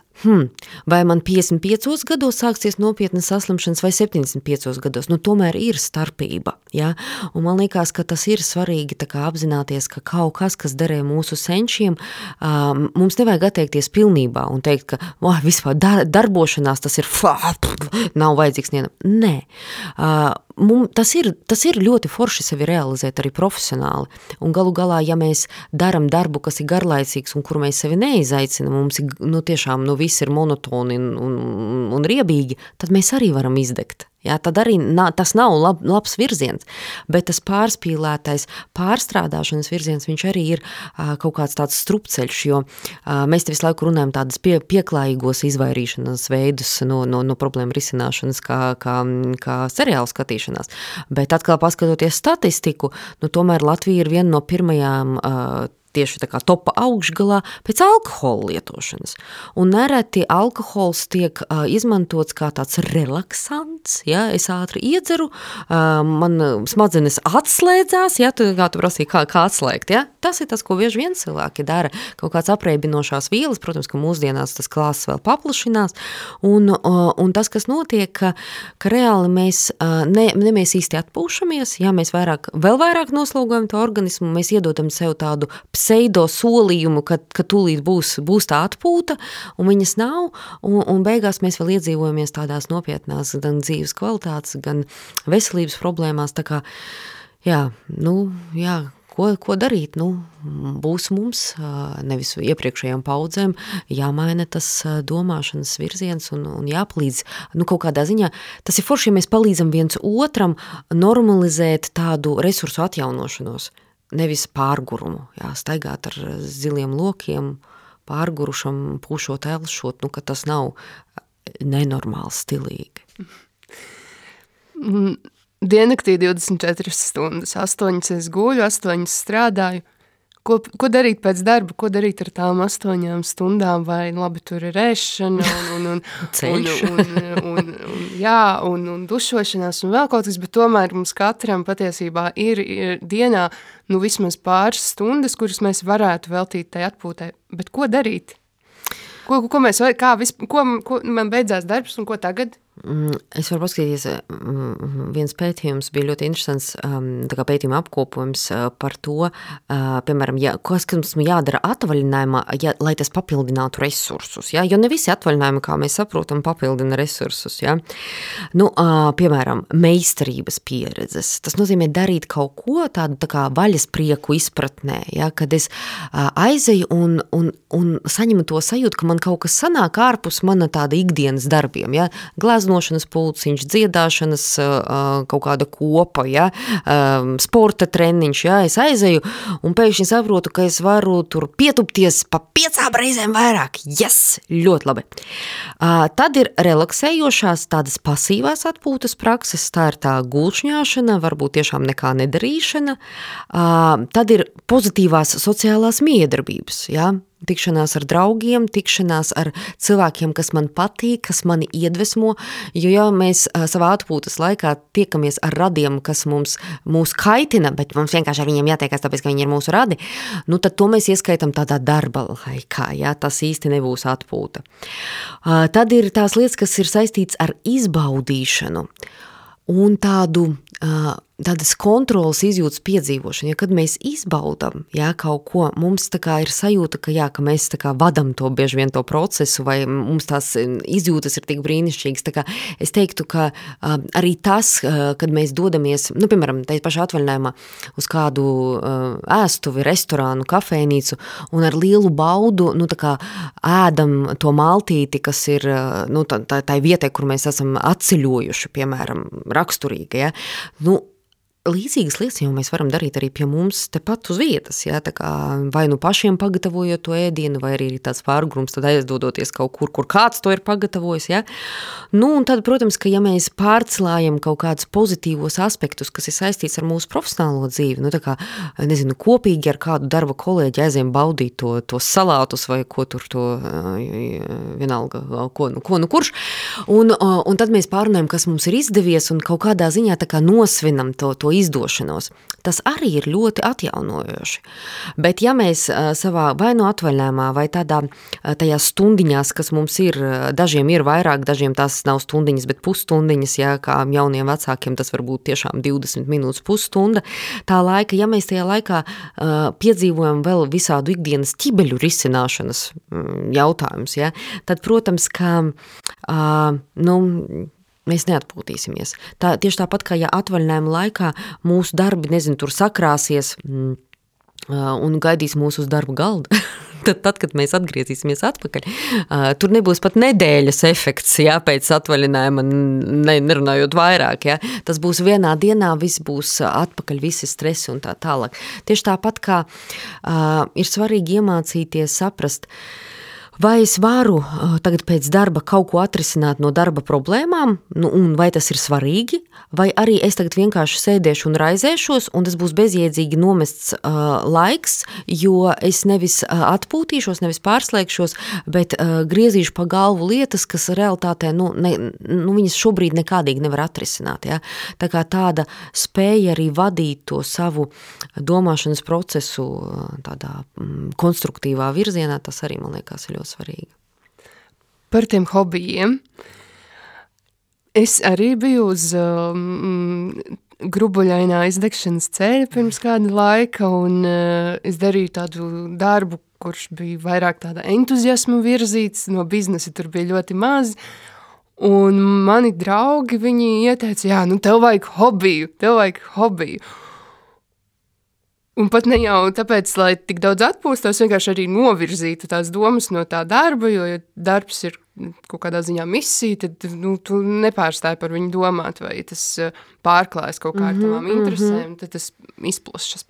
vai man 55 gados sāksies nopietnas saslimšanas vai 75 gados? Tomēr ir starpība. Ja? Un man liekas, ka tas ir svarīgi tā kā apzināties, ka kaut kas derē mūsu senčiem, mums nevajag atteikties pilnībā un teikt, ka vispār darbošanās tas ir nav vajadzīgs nienam. Nē. tas ir ļoti forši sevi realizēt arī profesionāli. Un galu galā, ja mēs daram darbu, kas ir garlaicīgs un kur mēs sevi neizaicinam, mums ir, tiešām, viss ir monotoni un riebīgi, tad mēs arī varam izdegt. Jā, tad arī tas nav labs virziens, bet tas pārspīlētais pārstrādāšanas virziens, viņš arī ir kaut kāds tāds strupceļš, jo mēs te visu laiku runājam tādas pieklājīgos izvairīšanas veidus no problēmu risināšanas kā seriālu skatīšanās, bet atkal paskatoties statistiku, tomēr Latvija ir viena no pirmajām tieši tā kā topa augšgalā pēc alkohola lietošanas. Un nereti alkohols tiek izmantots kā tāds relaksants, ja, es ātri iedzeru, man smadzenes atslēdzās, ja, tu prasīji, kā atslēgt, ja. Tas ir tas, ko bieži vien cilvēki dara, kaut kāds apreibinošās vielas, protams, ka mūsdienās tas klāsts vēl paplašinās, un tas, kas notiek, ka reāli mēs mēs īsti atpūšamies, ja mēs vēl vairāk noslogojam to organismu, mēs iedodam sev tādu pseido solījumu, ka tūlīt būs tā atpūta, un viņas nav, un beigās mēs vēl iedzīvojamies tādās nopietnās gan dzīves kvalitātes, gan veselības problēmās, tā kā, ko darīt? Būs mums, nevis iepriekšējām paudzēm, jāmaina tas domāšanas virziens un jāpalīdz, kaut kādā ziņā. Tas ir forši, ja mēs palīdzam viens otram normalizēt tādu resursu atjaunošanos, nevis pārgurumu, staigāt ar ziliem lokiem, pārgurušam, pūšot, elšot, ka tas nav nenormāli stilīgi. Diennaktī 24 stundas, 8 es guļu, 8 strādāju. Ko darīt pēc darba, ko darīt ar tām 8 stundām, vai labi tur ir ēšana un dušošanās un vēl kaut kas, bet tomēr mums katram patiesībā ir dienā vismaz pāris stundas, kuras mēs varētu veltīt tai atpūtai. Bet ko darīt? Ko man beidzās darbs un ko tagad? Es varu paskatīties, viens pētījums bija ļoti interesants, tā kā pētījuma apkopojums par to, piemēram, kas mums jādara atvaļinājumā, lai tas papildinātu resursus, ja? Jo ne visi atvaļinājumi, kā mēs saprotam, papildina resursus, ja? Piemēram, meistarības pieredzes, tas nozīmē darīt kaut ko tādu tā kā vaļas prieku izpratnē, ja? Kad es aizeju un saņemu to sajūtu, ka man kaut kas sanāk ārpus mana tāda ikdienas darbiem, ja? Gleznošanas pulciņš, dziedāšanas kaut kāda kopa, ja, sporta treniņš, ja, es aizeju un pēkšņi saprotu, ka es varu tur pietupties pa 5 reizēm vairāk. Yes, ļoti labi. Tad ir relaksējošās tādas pasīvās atpūtas prakses, tā ir tā gulšņāšana, varbūt tiešām nekā nedarīšana. Tad ir pozitīvās sociālās miedarbības, ja. Tikšanās ar draugiem, tikšanās ar cilvēkiem, kas man patīk, kas mani iedvesmo, jo ja mēs savā atpūtas laikā tiekamies ar radiem, kas mūs kaitina, bet mums vienkārši ar viņiem jātiekās, tāpēc, ka viņi ir mūsu radi, tad to mēs ieskaitam tādā darba laikā, ja, tas īsti nebūs atpūta. Tad ir tās lietas, kas ir saistīts ar izbaudīšanu un tādas kontrolas izjūtas piedzīvošana, ja kad mēs izbaudam, ja, kaut ko, mums tā kā ir sajūta, ka mēs tā kā vadam to bieži vien to procesu, vai mums tās izjūtas ir tik brīnišķīgas, tā kā es teiktu, ka arī tas, kad mēs dodamies, piemēram, tā pašā atvaļinājumā uz kādu ēstuvi, restorānu, kafejnīcu, un ar lielu baudu, tā kā ēdam to maltīti, kas ir, tā vietai, kur mēs esam atceļojuši, piemēram, raksturīgi, ja, līdzīgas lietas jau mēs varam darīt arī pie mums tepat uz vietas, ja, tā kā vai pašiem pagatavojot to ēdienu, vai arī tāds pārgrums, tad aizdodoties kaut kur kāds to ir pagatavojis, ja. Un tad, protams, ka ja mēs pārcelājam kaut kādus pozitīvos aspektus, kas ir saistīts ar mūsu profesionālo dzīvi, tā kā, nezinu, kopīgi ar kādu darba kolēģi aiziem baudīt to salātus vai ko tur to, vienalga, kurš, un tad mēs pārunājam, kas mums ir izdevies un kaut kādā ziņā tā kā nosvinam to izdošanos. Tas arī ir ļoti atjaunojoši. Bet ja mēs savā vai atvaļinājumā vai tajās stundiņās, kas mums ir, dažiem ir vairāk, dažiem tās nav stundiņas, bet pusstundiņas, ja, kā jauniem vecākiem tas var būt tiešām 20 minūtes, pusstunda, tā laika, ja mēs tajā laikā piedzīvojam vēl visādu ikdienas ķibeļu risināšanas jautājumus, ja, tad, protams, ka, mēs neatpūtīsimies. Tieši tāpat, kā ja atvaļinājuma laikā mūsu darbi, tur sakrāsies un gaidīs mūs uz darba galda, tad, kad mēs atgriezīsimies atpakaļ, tur nebūs pat nedēļas efekts, pēc atvaļinājuma, nerunājot vairāk, Tas būs vienā dienā, viss būs atpakaļ, visi stresi un tā tālāk. Tieši tāpat, kā ir svarīgi iemācīties saprast, vai es varu tagad pēc darba kaut ko atrisināt no darba problēmām, un vai tas ir svarīgi, vai arī es tagad vienkārši sēdēšu un raizēšos, un tas būs bezjēdzīgi nomests laiks, jo es nevis atpūtīšos, nevis pārslēgšos, bet griezīšu pa galvu lietas, kas realitātē, viņas šobrīd nekādīgi nevar atrisināt. Ja? Tā kā tāda spēja arī vadīt to savu domāšanas procesu tādā konstruktīvā virzienā, tas arī, man liekas, ir ļoti svarīgi. Par tiem hobijiem. Es arī biju uz grubuļainā izdegšanas ceļa pirms kāda laika, un es darīju tādu darbu, kurš bija vairāk tāda entuziasma virzīts, no biznesa tur bija ļoti maz, un mani draugi, viņi ieteica, tev vajag hobiju. Un pat ne jau tāpēc, lai tik daudz atpūstos, vienkārši arī novirzītu tās domas no tā darba, jo, ja darbs ir kaut kādā ziņā misija, tad tu nepārstāji par viņu domāt, vai tas pārklājas kaut kā ar tavām interesēm, tad tas izplašas.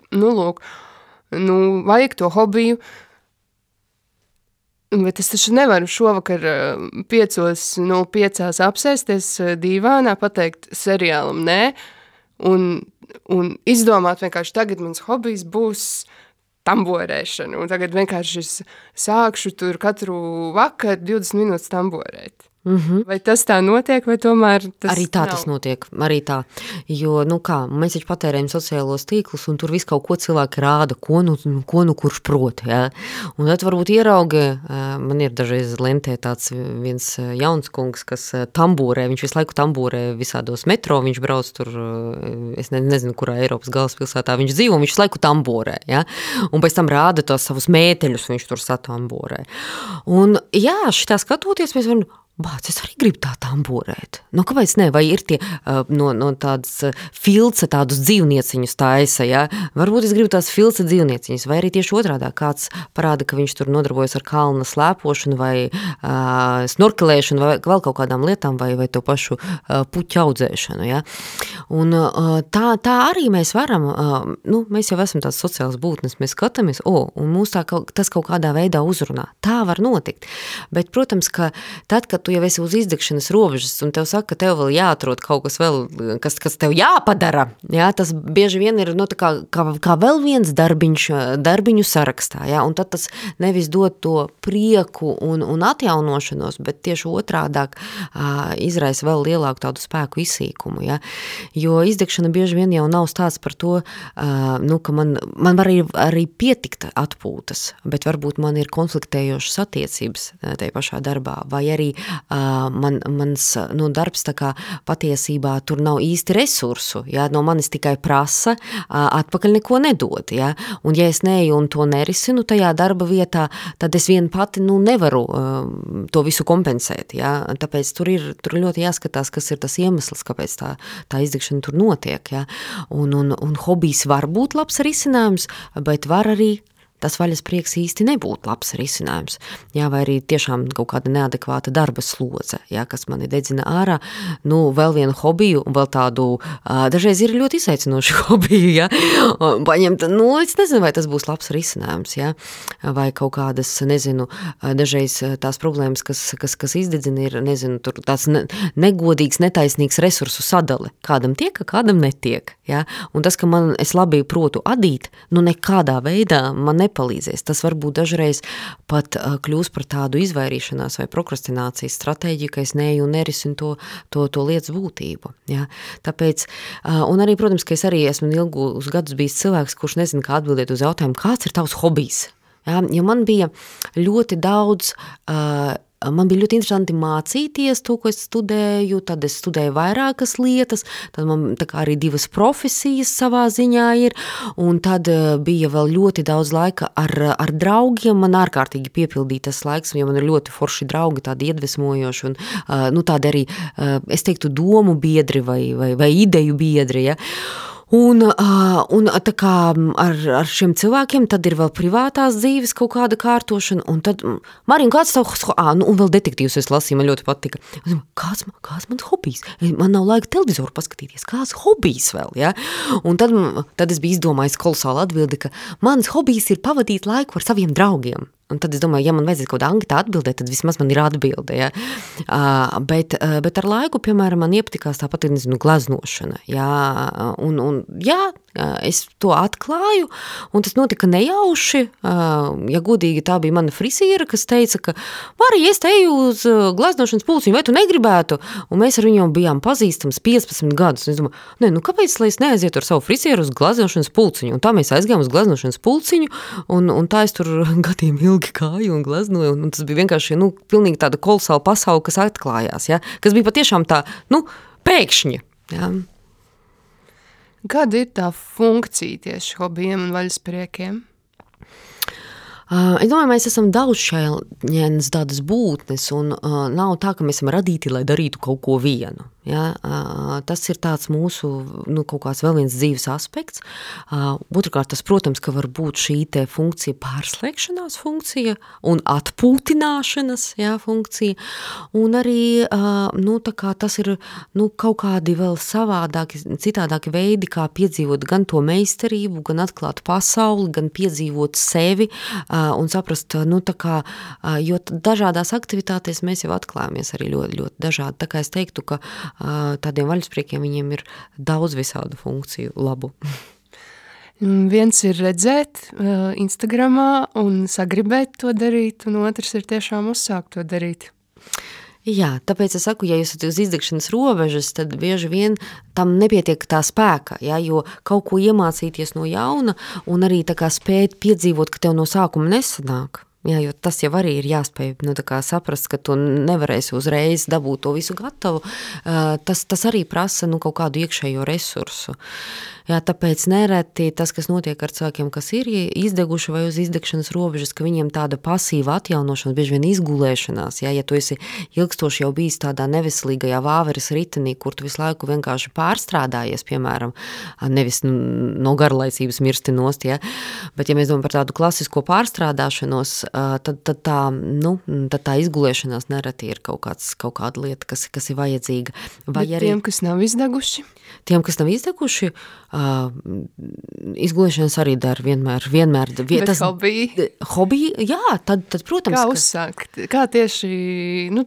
Vajag to hobiju, bet es taču nevaru šovakar 5:05 apsēsties dīvānā, pateikt seriālam nē, un izdomāt vienkārši tagad mans hobijs būs tamborēšana, un tagad vienkārši es sākšu tur katru vakaru 20 minūtes tamborēt. Vai tas tā notiek, vai tomēr tas arī tā nav? Tas notiek, arī tā, jo, mēs taču patērējam sociālos tīklus, un tur visu kaut ko cilvēki rāda, ko kurš prot, un tad varbūt ierauga, man ir dažreiz lentē tāds viens jauns kungs, kas tamborē, viņš visu laiku tamborē visādos metro, viņš brauc tur, es nezinu, kurā Eiropas galvaspilsētā viņš dzīvo, un viņš visu laiku tamborē, un pēc tam rāda tos savus mēteļus, viņš tur satamborē. Un, šitā skatoties, mēs varam, es arī gribu tā tamborēt. Kāpēc ne? Vai ir tie no tādas filca tādus dzīvnieciņus taisa, Varbūt es gribu tās filca dzīvnieciņus, vai arī tieši otrādā kāds parāda, ka viņš tur nodarbojas ar kalna slēpošanu vai snorkelēšanu vai vēl kaut kādām lietām vai to pašu puķu audzēšanu, Un tā arī mēs varam, mēs jau esam tās sociālas būtnes, mēs skatāmies, un mūs tas kaut kādā veidā uzrunā. Tā var notikt. Bet, protams, ka tad, kad tu jau esi uz izdegšanas robežas, un tev saka, ka tev vēl jāatrod kaut kas vēl, kas tev jāpadara, tas bieži vien ir kā vēl viens darbiņu sarakstā, un tad tas nevis dod to prieku un atjaunošanos, bet tieši otrādāk izraisa vēl lielāku tādu spēku izsīkumu, jo izdegšana bieži vien jau nav stāsts par to, ka man var arī pietikt atpūtas, bet varbūt man ir konfliktējošas attiecības tajā pašā darbā, vai arī mans darbs tā kā patiesībā tur nav īsti resursu, no manis tikai prasa, atpakaļ neko nedod, un ja es neeju un to nerisinu tajā darba vietā, tad es vien pati, nevaru to visu kompensēt, tāpēc tur ļoti jāskatās, kas ir tas iemesls, kāpēc tā izdegšana tur notiek, un hobijs var būt labs risinājums, bet var arī tas vaļas prieks īsti nebūtu labs risinājums, vai arī tiešām kaut kāda neadekvāta darba slodze, kas mani dedzina ārā, vēl vienu hobiju, un vēl tādu, dažreiz ir ļoti izaicinošu hobiju, paņemt, es nezinu, vai tas būs labs risinājums, vai kaut kādas, nezinu, dažreiz tās problēmas, kas izdedzina, ir, nezinu, tur tāds negodīgs, netaisnīgs resursu sadale, kādam tiek, kādam netiek, un tas, ka es labi protu adīt, nekādā veidā man nepalīdzēs. Tas varbūt dažreiz pat kļūs par tādu izvairīšanās vai prokrastinācijas stratēģiju, ka es neeju un nerisinu to lietas būtību. Tāpēc, un arī, protams, ka es arī esmu ilgus gadus bijis cilvēks, kurš nezina, kā atbildēt uz jautājumu, kāds ir tavs hobijs? Jo man bija ļoti daudz man bija ļoti interesanti mācīties to, ko es studēju, tad es studēju vairākas lietas, tad man tā kā arī 2 profesijas savā ziņā ir, un tad bija vēl ļoti daudz laika ar draugiem, man ārkārtīgi piepildīja tas laiks, jo man ir ļoti forši draugi, tādi iedvesmojoši, un tādi arī, es teiktu, domu biedri vai ideju biedri, ja. Un tā kā ar šiem cilvēkiem tad ir vēl privātās dzīves kaut kāda kārtošana, un tad, Marija, kāds tavs, un vēl detektīvs es lasīju, man ļoti patika. Kāds mans hobijs? Man nav laika televizoru paskatīties, kāds hobijs vēl, ja? Un tad es biju izdomājis kolosālu atbildi, ka mans hobijs ir pavadīt laiku ar saviem draugiem. Un tad es domāju, ja man vajadzētu kaut kādā anketā atbildēt, tad vismaz man ir atbilde, ja. Bet ar laiku, piemēram, man iepatikās tāpat, gleznošana, ja. Un es to atklāju, un tas notika nejauši, ja godīgi tā bija mana frisiera, kas teica, ka Marija, es te eju uz gleznošanas pulciņu, vai tu negribētu? Un mēs ar viņu bijām pazīstams 15 gadus, un es domāju, kāpēc, lai es neaizietu ar savu frisieru uz gleznošanas pulciņu? Un tā mēs aizgājām uz gleznošanas pulciņu, un tā es tur gadiem ilgi kāju un gleznoju, un tas bija vienkārši, pilnīgi tāda kolosāla pasaule, kas atklājās, ja? Kas bija patiešām tā, pēkšņi, ja? Kāda ir tā funkcija tieši hobijiem un vaļaspriekiem? Es domāju, mēs esam daudzšķaitņienas tādas būtnes, un nav tā, ka mēs esam radīti, lai darītu kaut ko vienu. Ja? Tas ir tāds mūsu, kaut kāds vēl viens dzīves aspekts. Otrkārt, tas, protams, ka var būt šī te funkcija pārslēgšanās funkcija un atpūtināšanas, funkcija. Un arī, tā kā tas ir, kaut kādi vēl savādāki, citādāki veidi, kā piedzīvot gan to meistarību, gan atklāt pasauli, gan piedzīvot sevi, un saprast, jo dažādās aktivitātēs mēs jau atklājamies arī ļoti, ļoti dažādi. Tā kā es teiktu, ka tādiem vaļaspriekiem viņiem ir daudz visādu funkciju labu. Viens ir redzēt Instagramā un sagribēt to darīt, un otrs ir tiešām uzsākt to darīt. Jā, tāpēc es saku, ja jūs esat uz izdegšanas robežas, tad bieži vien tam nepietiek tā spēka, ja, jo kaut ko iemācīties no jauna un arī tā kā spēt piedzīvot, ka tev no sākuma nesanāk. Jā, jo tas jau arī ir jāspēj saprast, ka tu nevarēsi uzreiz dabūt to visu gatavu. Tas arī prasa kaut kādu iekšējo resursu. Jā, tāpēc nereti tas, kas notiek ar cilvēkiem, kas ir izdeguši vai uz izdegšanas robežas, ka viņiem tāda pasīva atjaunošana, bieži vien izgulēšanās, ja tu esi ilgstoši jau bijis tādā neveselīgajā vāveres ritenī, kur tu visu laiku vienkārši pārstrādājies, piemēram, nevis no garlaicības mirsti nost, ja, bet ja mēs domājam par tādu klasisko pārstrādāšanos, tad tā izgulēšanās nereti ir kaut kāda lieta, kas ir vajadzīga. Vai bet arī tiem, kas nav izdeguši? Tiem, kas nav izdeguši, izgulēšanas arī dara vienmēr. Bet tas hobiji, jā, tad protams. Kā uzsākt? Kā tieši,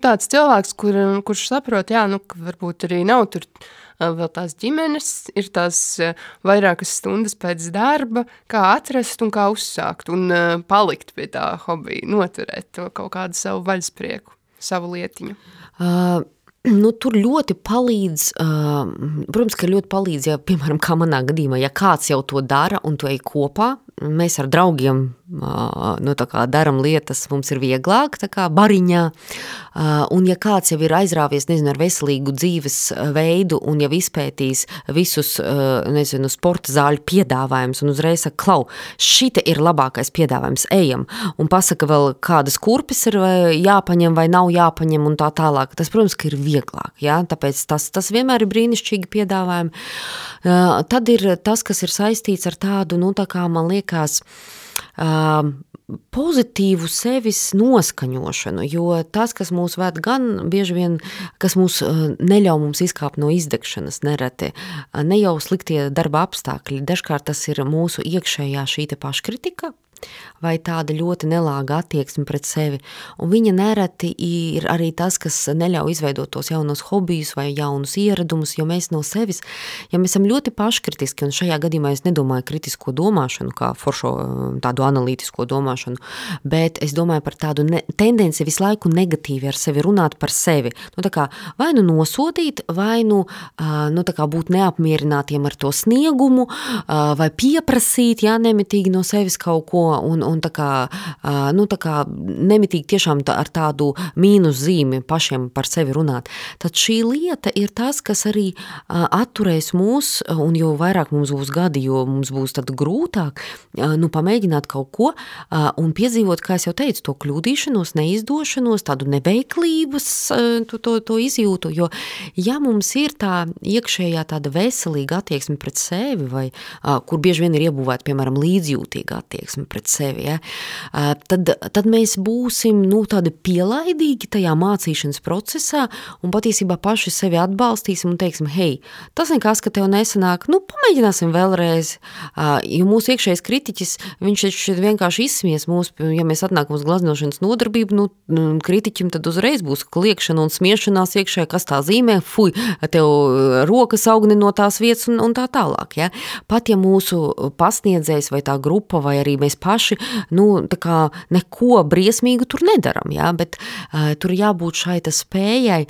tāds cilvēks, kurš saprot, ka varbūt arī nav tur vēl tās ģimenes, ir tās vairākas stundas pēc darba, kā atrast un kā uzsākt un palikt pie tā hobija, noturēt to kaut kādu savu vaļasprieku, savu lietiņu. Tur ļoti palīdz, protams, ka ļoti palīdz, ja, piemēram, kā manā gadījumā, ja kāds jau to dara un tu ej kopā, mēs ar draugiem daram lietas, mums ir vieglāk, tā kā bariņā, un ja kāds jau ir aizrāvies, ar veselīgu dzīves veidu un jau izpētīs visus, sporta zāļu piedāvājumus un uzreiz saka, klau, šite ir labākais piedāvājums, ejam, un pasaka vēl, kādas kurpes ir jāpaņem vai nav jāpaņem un tā tālāk. Tas, protams, ka ir vieglāk, ja? Tāpēc tas vienmēr ir brīnišķīgi piedāvājumi. Tad ir tas, kas ir saistīts ar tādu, tā kā man liekas, pozitīvu sevis noskaņošanu, jo tas, kas mūs ved gan bieži vien, kas mūs neļauj mums izkāpt no izdegšanas nereti, ne jau sliktie darba apstākļi, dažkārt tas ir mūsu iekšējā šī te paškritika, vai tāda ļoti nelāga attieksme pret sevi. Un viņa nereti ir arī tas, kas neļauj izveidot tos jaunos hobijus vai jaunus ieradumus, jo mēs no sevis, ja mēs esam ļoti paškritiski, un šajā gadījumā es nedomāju kritisko domāšanu, kā foršo tādu analītisko domāšanu, bet es domāju par tādu tendenci visu laiku negatīvi ar sevi runāt par sevi. Tā kā vai nosodīt, vai tā kā būt neapmierinātiem ar to sniegumu, vai pieprasīt, nemitīgi no sevis kaut ko, un tā kā nemitīgi tiešām ar tādu mīnus zīmi pašiem par sevi runāt. Tad šī lieta ir tas, kas arī atturēs mūs, un jo vairāk mums būs gadi, jo mums būs tad grūtāk, pamēģināt kaut ko un piedzīvot, kā es jau teicu, to kļūdīšanos, neizdošanos, tādu neveiklības, to izjūtu, jo ja mums ir tā iekšējā tāda veselīga attieksme pret sevi, vai kur bieži vien ir iebūvēta, piemēram, līdzjūtīga attieksme pret sevi, ja, tad mēs būsim tādi pielaidīgi tajā mācīšanas procesā un patiesībā paši sevi atbalstīsim un teiksim, hei, tas nekas, ka tev nesanāk, pamēģināsim vēlreiz, jo mūsu iekšējais kritiķis, viņš vienkārši izsmies mūs, ja mēs atnākam uz glaznošanas nodarbību, kritiķim tad uzreiz būs kliekšana un smiešanās iekšē, kas tā zīmē, fuj, tev rokas augni no tās vietas un tā tālāk, ja. Pat ja mūsu pasniedzējs vai tā grupa vai arī mēs paši, tā kā neko briesmīgu tur nedaram, ja, bet tur jābūt šai spējai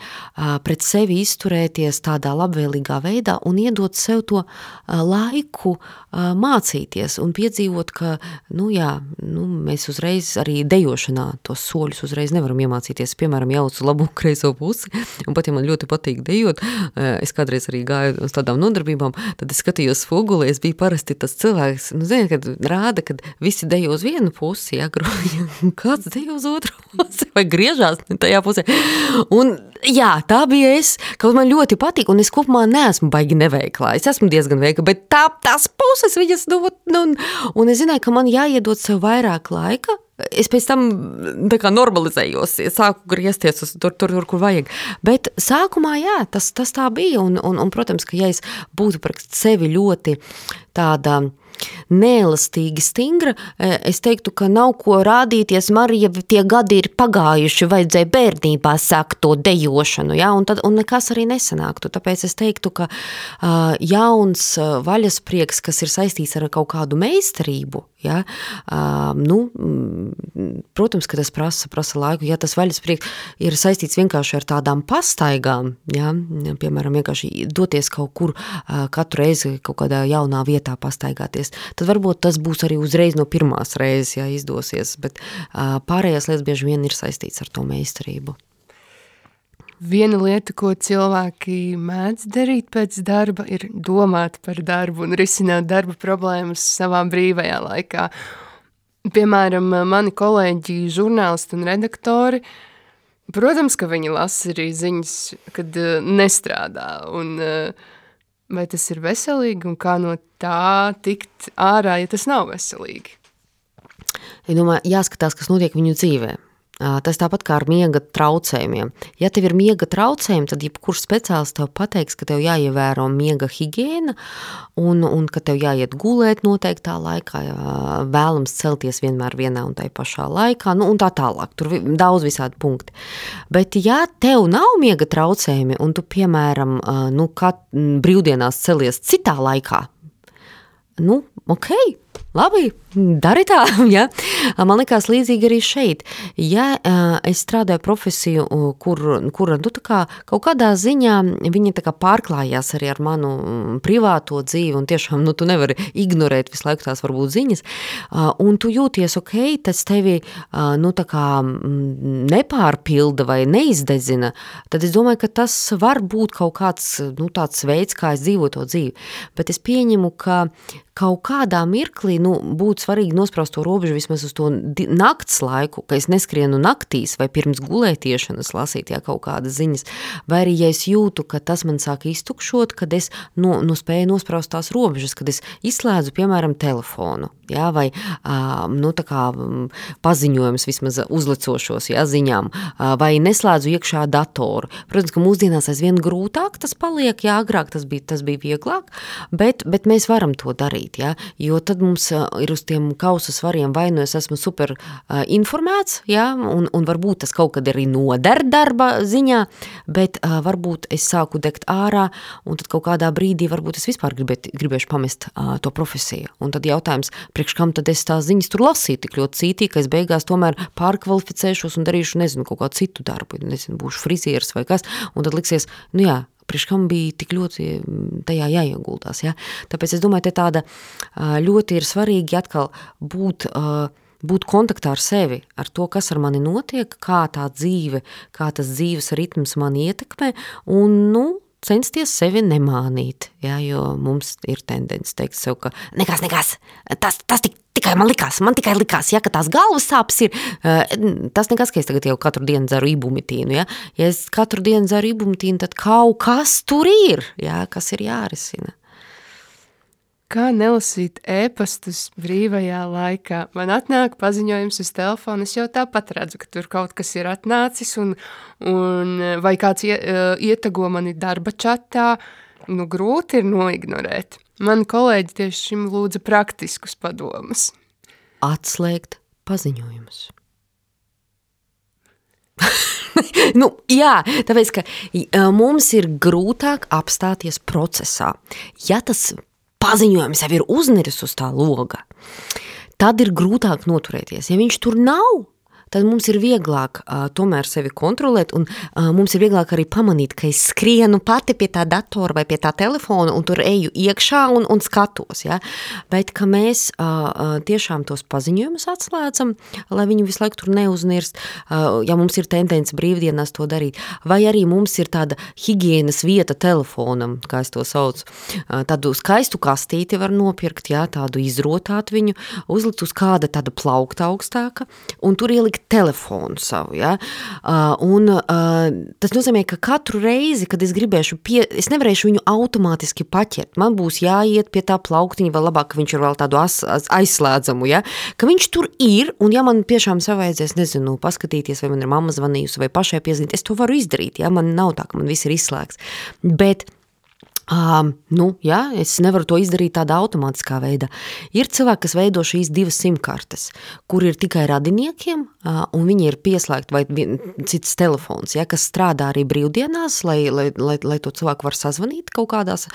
pret sevi izturēties tādā labvēlīgā veidā un iedot sev to laiku mācīties un piedzīvot, ka, mēs uzreiz arī dejošanā tos soļus uzreiz nevaram iemācīties, piemēram, jaucu labu kreiso pusi, un pat ja man ļoti patīk dejot, es kādreiz arī gāju uz tādām nodarbībām, tad es skatījos spogulī, es biju parasti tas cilvēks, kad rāda, kad visi dejo uz vienu pusi, ja, kāds dejo uz otru pusi, vai griežās tajā pusē, un jā, tā bija es, kaut man ļoti patīk, un es kopumā neesmu baigi neveiklā, es esmu diezgan veikla, bet tās puses viņas dot, un es zināju, ka man jāiedod sev vairāk laika, es pēc tam tā kā normalizējos, sāku griezties uz tur, kur vajag. Bet sākumā, jā, tas tā bija, un protams, ka ja es būtu par sevi ļoti tāda neelastīgi stingra, es teiktu, ka nav ko rādīties, Marija, tie gadi ir pagājuši, vajadzēja bērnībā sākt to dejošanu, ja, un nekas arī nesanāktu. Tāpēc es teiktu, ka jauns vaļasprieks, kas ir saistīts ar kaut kādu meistarību, ja, protams, ka tas prasa laiku, ja tas vaļasprieks ir saistīts vienkārši ar tādām pastaigām, ja, piemēram, vienkārši doties kaut kur katru reizi kaut kādā jaunā vietā pastaigāties, tad varbūt tas būs arī uzreiz no pirmās reizes, ja izdosies, bet pārējās lietas bieži vien ir saistīts ar to meistarību. Viena lieta, ko cilvēki mēdz darīt pēc darba, ir domāt par darbu un risināt darba problēmas savā brīvajā laikā. Piemēram, mani kolēģi, žurnālisti un redaktori, protams, ka viņi lasa arī ziņas, kad nestrādā, un vai tas ir veselīgi un kā no tā tikt ārā, ja tas nav veselīgi? Es domāju, jāskatās, kas notiek viņu dzīvē. Tas tāpat kā ar miega traucējumiem. Ja tev ir miega traucējumi, tad jebkurš speciālists tev pateiks, ka tev jāievēro miega higiēna un ka tev jāiet gulēt noteiktā laikā, vēlams celties vienmēr vienā un tai pašā laikā, un tā tālāk. Tur daudz visādi punkti. Bet ja tev nav miega traucējumi un tu, piemēram, brīvdienās celies citā laikā, ok, labi, dari tā, ja. Man likās līdzīgi arī šeit. Ja es strādāju profesiju, kura tā kā kaut kādā ziņā viņa tā kā pārklājās arī ar manu privāto dzīvi, un tiešām, tu nevari ignorēt visu laiku tās varbūt ziņas, un tu jūties ok, tas tevi, tā kā nepārpilda vai neizdedzina, tad es domāju, ka tas var būt kaut kāds, tāds veids, kā es dzīvoju to dzīvi. Bet es pieņemu, ka kaut kādā mirklī, būtu svarīgi nospraust to robežu vismaz uz to nakts laiku, ka es neskrienu naktīs vai pirms gulētiešanas lasīt, kaut kādas ziņas, vai arī, ja es jūtu, ka tas man sāk iztukšot, kad es spēju nospraust tās robežas, kad es izslēdzu, piemēram, telefonu, vai tā kā paziņojums vismaz uzlecošos, ziņām, vai neslēdzu iekšā datoru. Protams, ka mūsdienās aizvien grūtāk tas paliek, agrāk tas bija vieglāk, bet mēs varam to darīt, jo tad mums ir uz tiem kausa svariem vai es esmu super informēts, un varbūt tas kaut kad arī noder darba ziņā, bet varbūt es sāku degt ārā, un tad kaut kādā brīdī varbūt es vispār gribēšu pamest to profesiju. Un tad jautājums, priekš kam tad es tās ziņas tur lasīju tik ļoti cītīgi, ka es beigās tomēr pārkvalificēšos un darīšu, kaut kādu citu darbu, būšu frizieris vai kas, un tad liksies, priekš kam bija tik ļoti tajā jāieguldās. Ja? Tāpēc es domāju, te tāda ļoti ir svarīgi atkal būt kontaktā ar sevi, ar to, kas ar mani notiek, kā tā dzīve, kā tas dzīves ritms mani ietekmē, un, censties sevi nemānīt, ja, jo mums ir tendence teikt sev, ka nekas, tas tikai man tikai likās, ja, ka tās galvas sāpes ir, tas nekas, ka es tagad jau katru dienu dzeru ibumetīnu, ja, es katru dienu dzeru ibumetīnu, tad kaut kas tur ir, ja, kas ir jārisina. Kā nelasīt ēpastus brīvajā laikā? Man atnāk paziņojums uz telefonu, es jau tāpat redzu, ka tur kaut kas ir atnācis, un vai kāds ietago mani darba čatā, grūti ir noignorēt. Mani kolēģi tieši šim lūdza praktiskus padomus. Atslēgt paziņojumus. Jā, tāpēc, ka mums ir grūtāk apstāties procesā. Ja tas paziņojums jau ir uzniris uz tā loga, tad ir grūtāk noturēties. Ja viņš tur nav, tad mums ir vieglāk tomēr sevi kontrolēt, un mums ir vieglāk arī pamanīt, ka es skrienu pati pie tā datora vai pie tā telefona, un tur eju iekšā un skatos. Ja? Bet, ka mēs tiešām tos paziņojumus atslēdzam, lai viņi visu laiku tur neuznirst, ja mums ir tendence brīvdienās to darīt, vai arī mums ir tāda higienas vieta telefonam, kā es to saucu, tādu skaistu kastīti var nopirkt, ja? Tādu izrotāt viņu, uzlikt uz kāda tāda plaukta augstāka, un tur ielikt telefonu savu, ja? Tas nozīmē, ka katru reizi, kad es gribēšu es nevarēšu viņu automātiski paķert. Man būs jāiet pie tā plauktiņa, vēl labāk, ka viņš ir vēl tādu aizslēdzamu, ja? Ka viņš tur ir, un ja man tiešām savaidzies, nezinu, paskatīties, vai man ir mamma zvanījusi, vai pašai piezīmēt, es to varu izdarīt, ja? Man nav tā, ka man viss ir izslēgts. Bet jā, es nevaru to izdarīt tādā automātiskā veidā. Ir cilvēki, kas veido šīs 2 simkartes, kur ir tikai radiniekiem, un viņi ir pieslēgti vai cits telefons, ja, kas strādā arī brīvdienās, lai to cilvēku var sazvanīt kaut kādās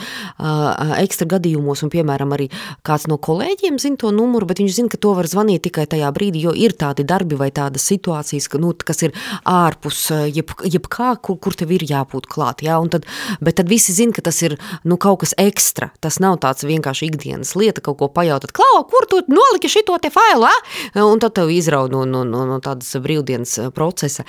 ekstra gadījumos, un piemēram arī kāds no kolēģiem zina to numuru, bet viņš zina, ka to var zvanīt tikai tajā brīdī, jo ir tādi darbi vai tādas situācijas, kas ir ārpus jebkā, kur tev ir jābūt klāt, ja, bet tad visi zina, ka tas ir kaut kas ekstra. Tas nav tāds vienkārši ikdienas lieta, kaut ko pajautāt. Klau, kur tu noliki šito te failu, un tad tev izraud no tādas brīvdienas procesa.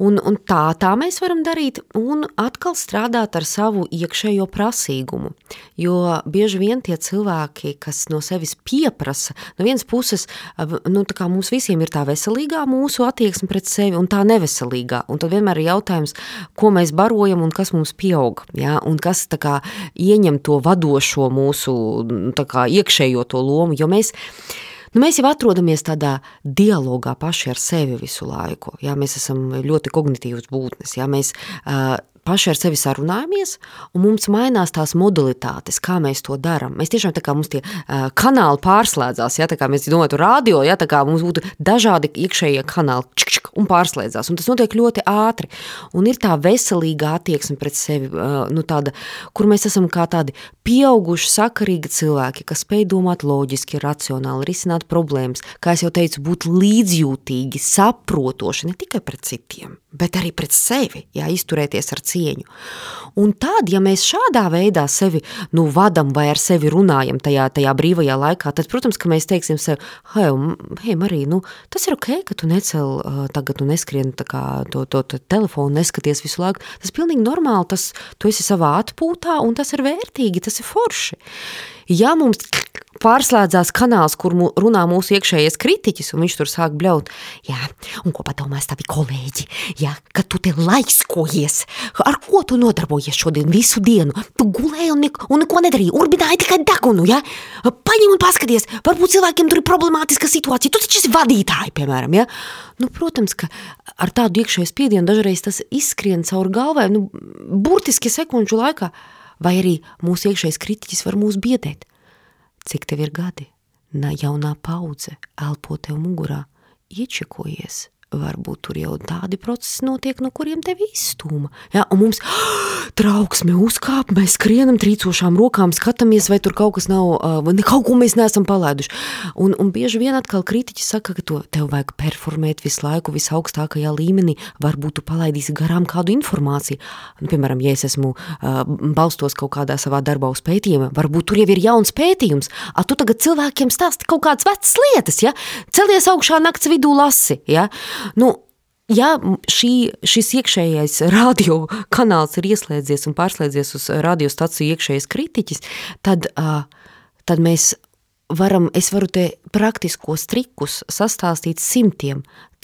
Un tā mēs varam darīt un atkal strādāt ar savu iekšējo prasīgumu. Jo bieži vien tie cilvēki, kas no sevis pieprasa, no vienas puses, tā kā mums visiem ir tā veselīgā mūsu attieksme pret sevi un tā neveselīgā. Un tad vienmēr ir jautājums, ko mēs barojam un kas mums pieaug, ja? Un kas tā kā ieņem to vadošo mūsu iekšējo to lomu, jo mēs jau atrodamies tādā dialogā paši ar sevi visu laiku. Jā, mēs esam ļoti kognitīvas būtnes. Jā, mēs paši ar sevi sarunājamies, un mums mainās tās modalitātes, kā mēs to daram. Mēs tiešām tā kā mums tie kanāli pārslēdzās, ja, tā kā mēs domātu radio, ja, tā kā mums būtu dažādi iekšējie kanāli, un pārslēdzās, un tas notiek ļoti ātri. Un ir tā veselīga attieksme pret sevi, tāda, kur mēs esam kā tādi pieauguši, sakarīgi cilvēki, kas spēj domāt loģiski, racionāli, risināt problēmas, kā es jau teicu, būt līdzjūtīgi, saprotoši, ne tikai pret citiem, bet arī pret sevi, jā, izturēties ar cieņu. Un tad, ja mēs šādā veidā sevi, vadam vai ar sevi runājam tajā brīvajā laikā, tad, protams, ka mēs teiksim sev, hei Marija, tas ir ok, ka tu necel tagad un neskrien to telefonu, neskaties visu laiku. Tas pilnīgi normāli, tu esi savā atpūtā un tas ir vērtīgi, tas ir forši. Ja mums pārslēdzās kanāls, kur runā mūsu iekšējais kritiķis, un viņš tur sāk bļaut, jā, un ko padomās tavi kolēģi, jā, ka tu te laiskojies, ar ko tu nodarbojies šodien visu dienu, tu gulēji un neko nedarīji, urbināji tikai degunu, jā, paņem un paskaties, varbūt cilvēkiem tur ir problemātiska situācija, tu taču esi vadītāji, piemēram, jā, protams, ka ar tādu iekšējo spiedienu dažreiz tas izskrien caur galvai, burtiski sekundžu laikā, vai arī mūsu iekšējais kritiķis var mūs biedēt. Cik tev ir gadi? Jaunā paudze elpo tev mugurā, iečekojies, varbūt tur jau tādi procesi notiek, no kuriem tevi izstūma. Ja, un mums trauksme uzkāp, mēs skrienam trīcošām rokām, skatāmies, vai tur kaut kas nav, kaut ko mēs neesam palaiduši. Un bieži vien atkal kritiķi saka, ka tev vajag performēt visu laiku visaugstākajā līmenī, varbūt tu palaidīsi garām kādu informāciju. Nu, piemēram, ja es esmu balstos kaut kādā savā darbā uz pētījuma, varbūt tur jau ir jauns pētījums, tu tagad cilvēkiem stāsti kaut kādas vecas lietas, ja? Celies augšā nakts vidū lasi, ja? Nu, ja šis iekšējais radio kanāls ir ieslēdzies un pārslēdzies uz radiostaciju iekšējais kritiķis, tad es varu te praktiskos trikus sastāstīt 100.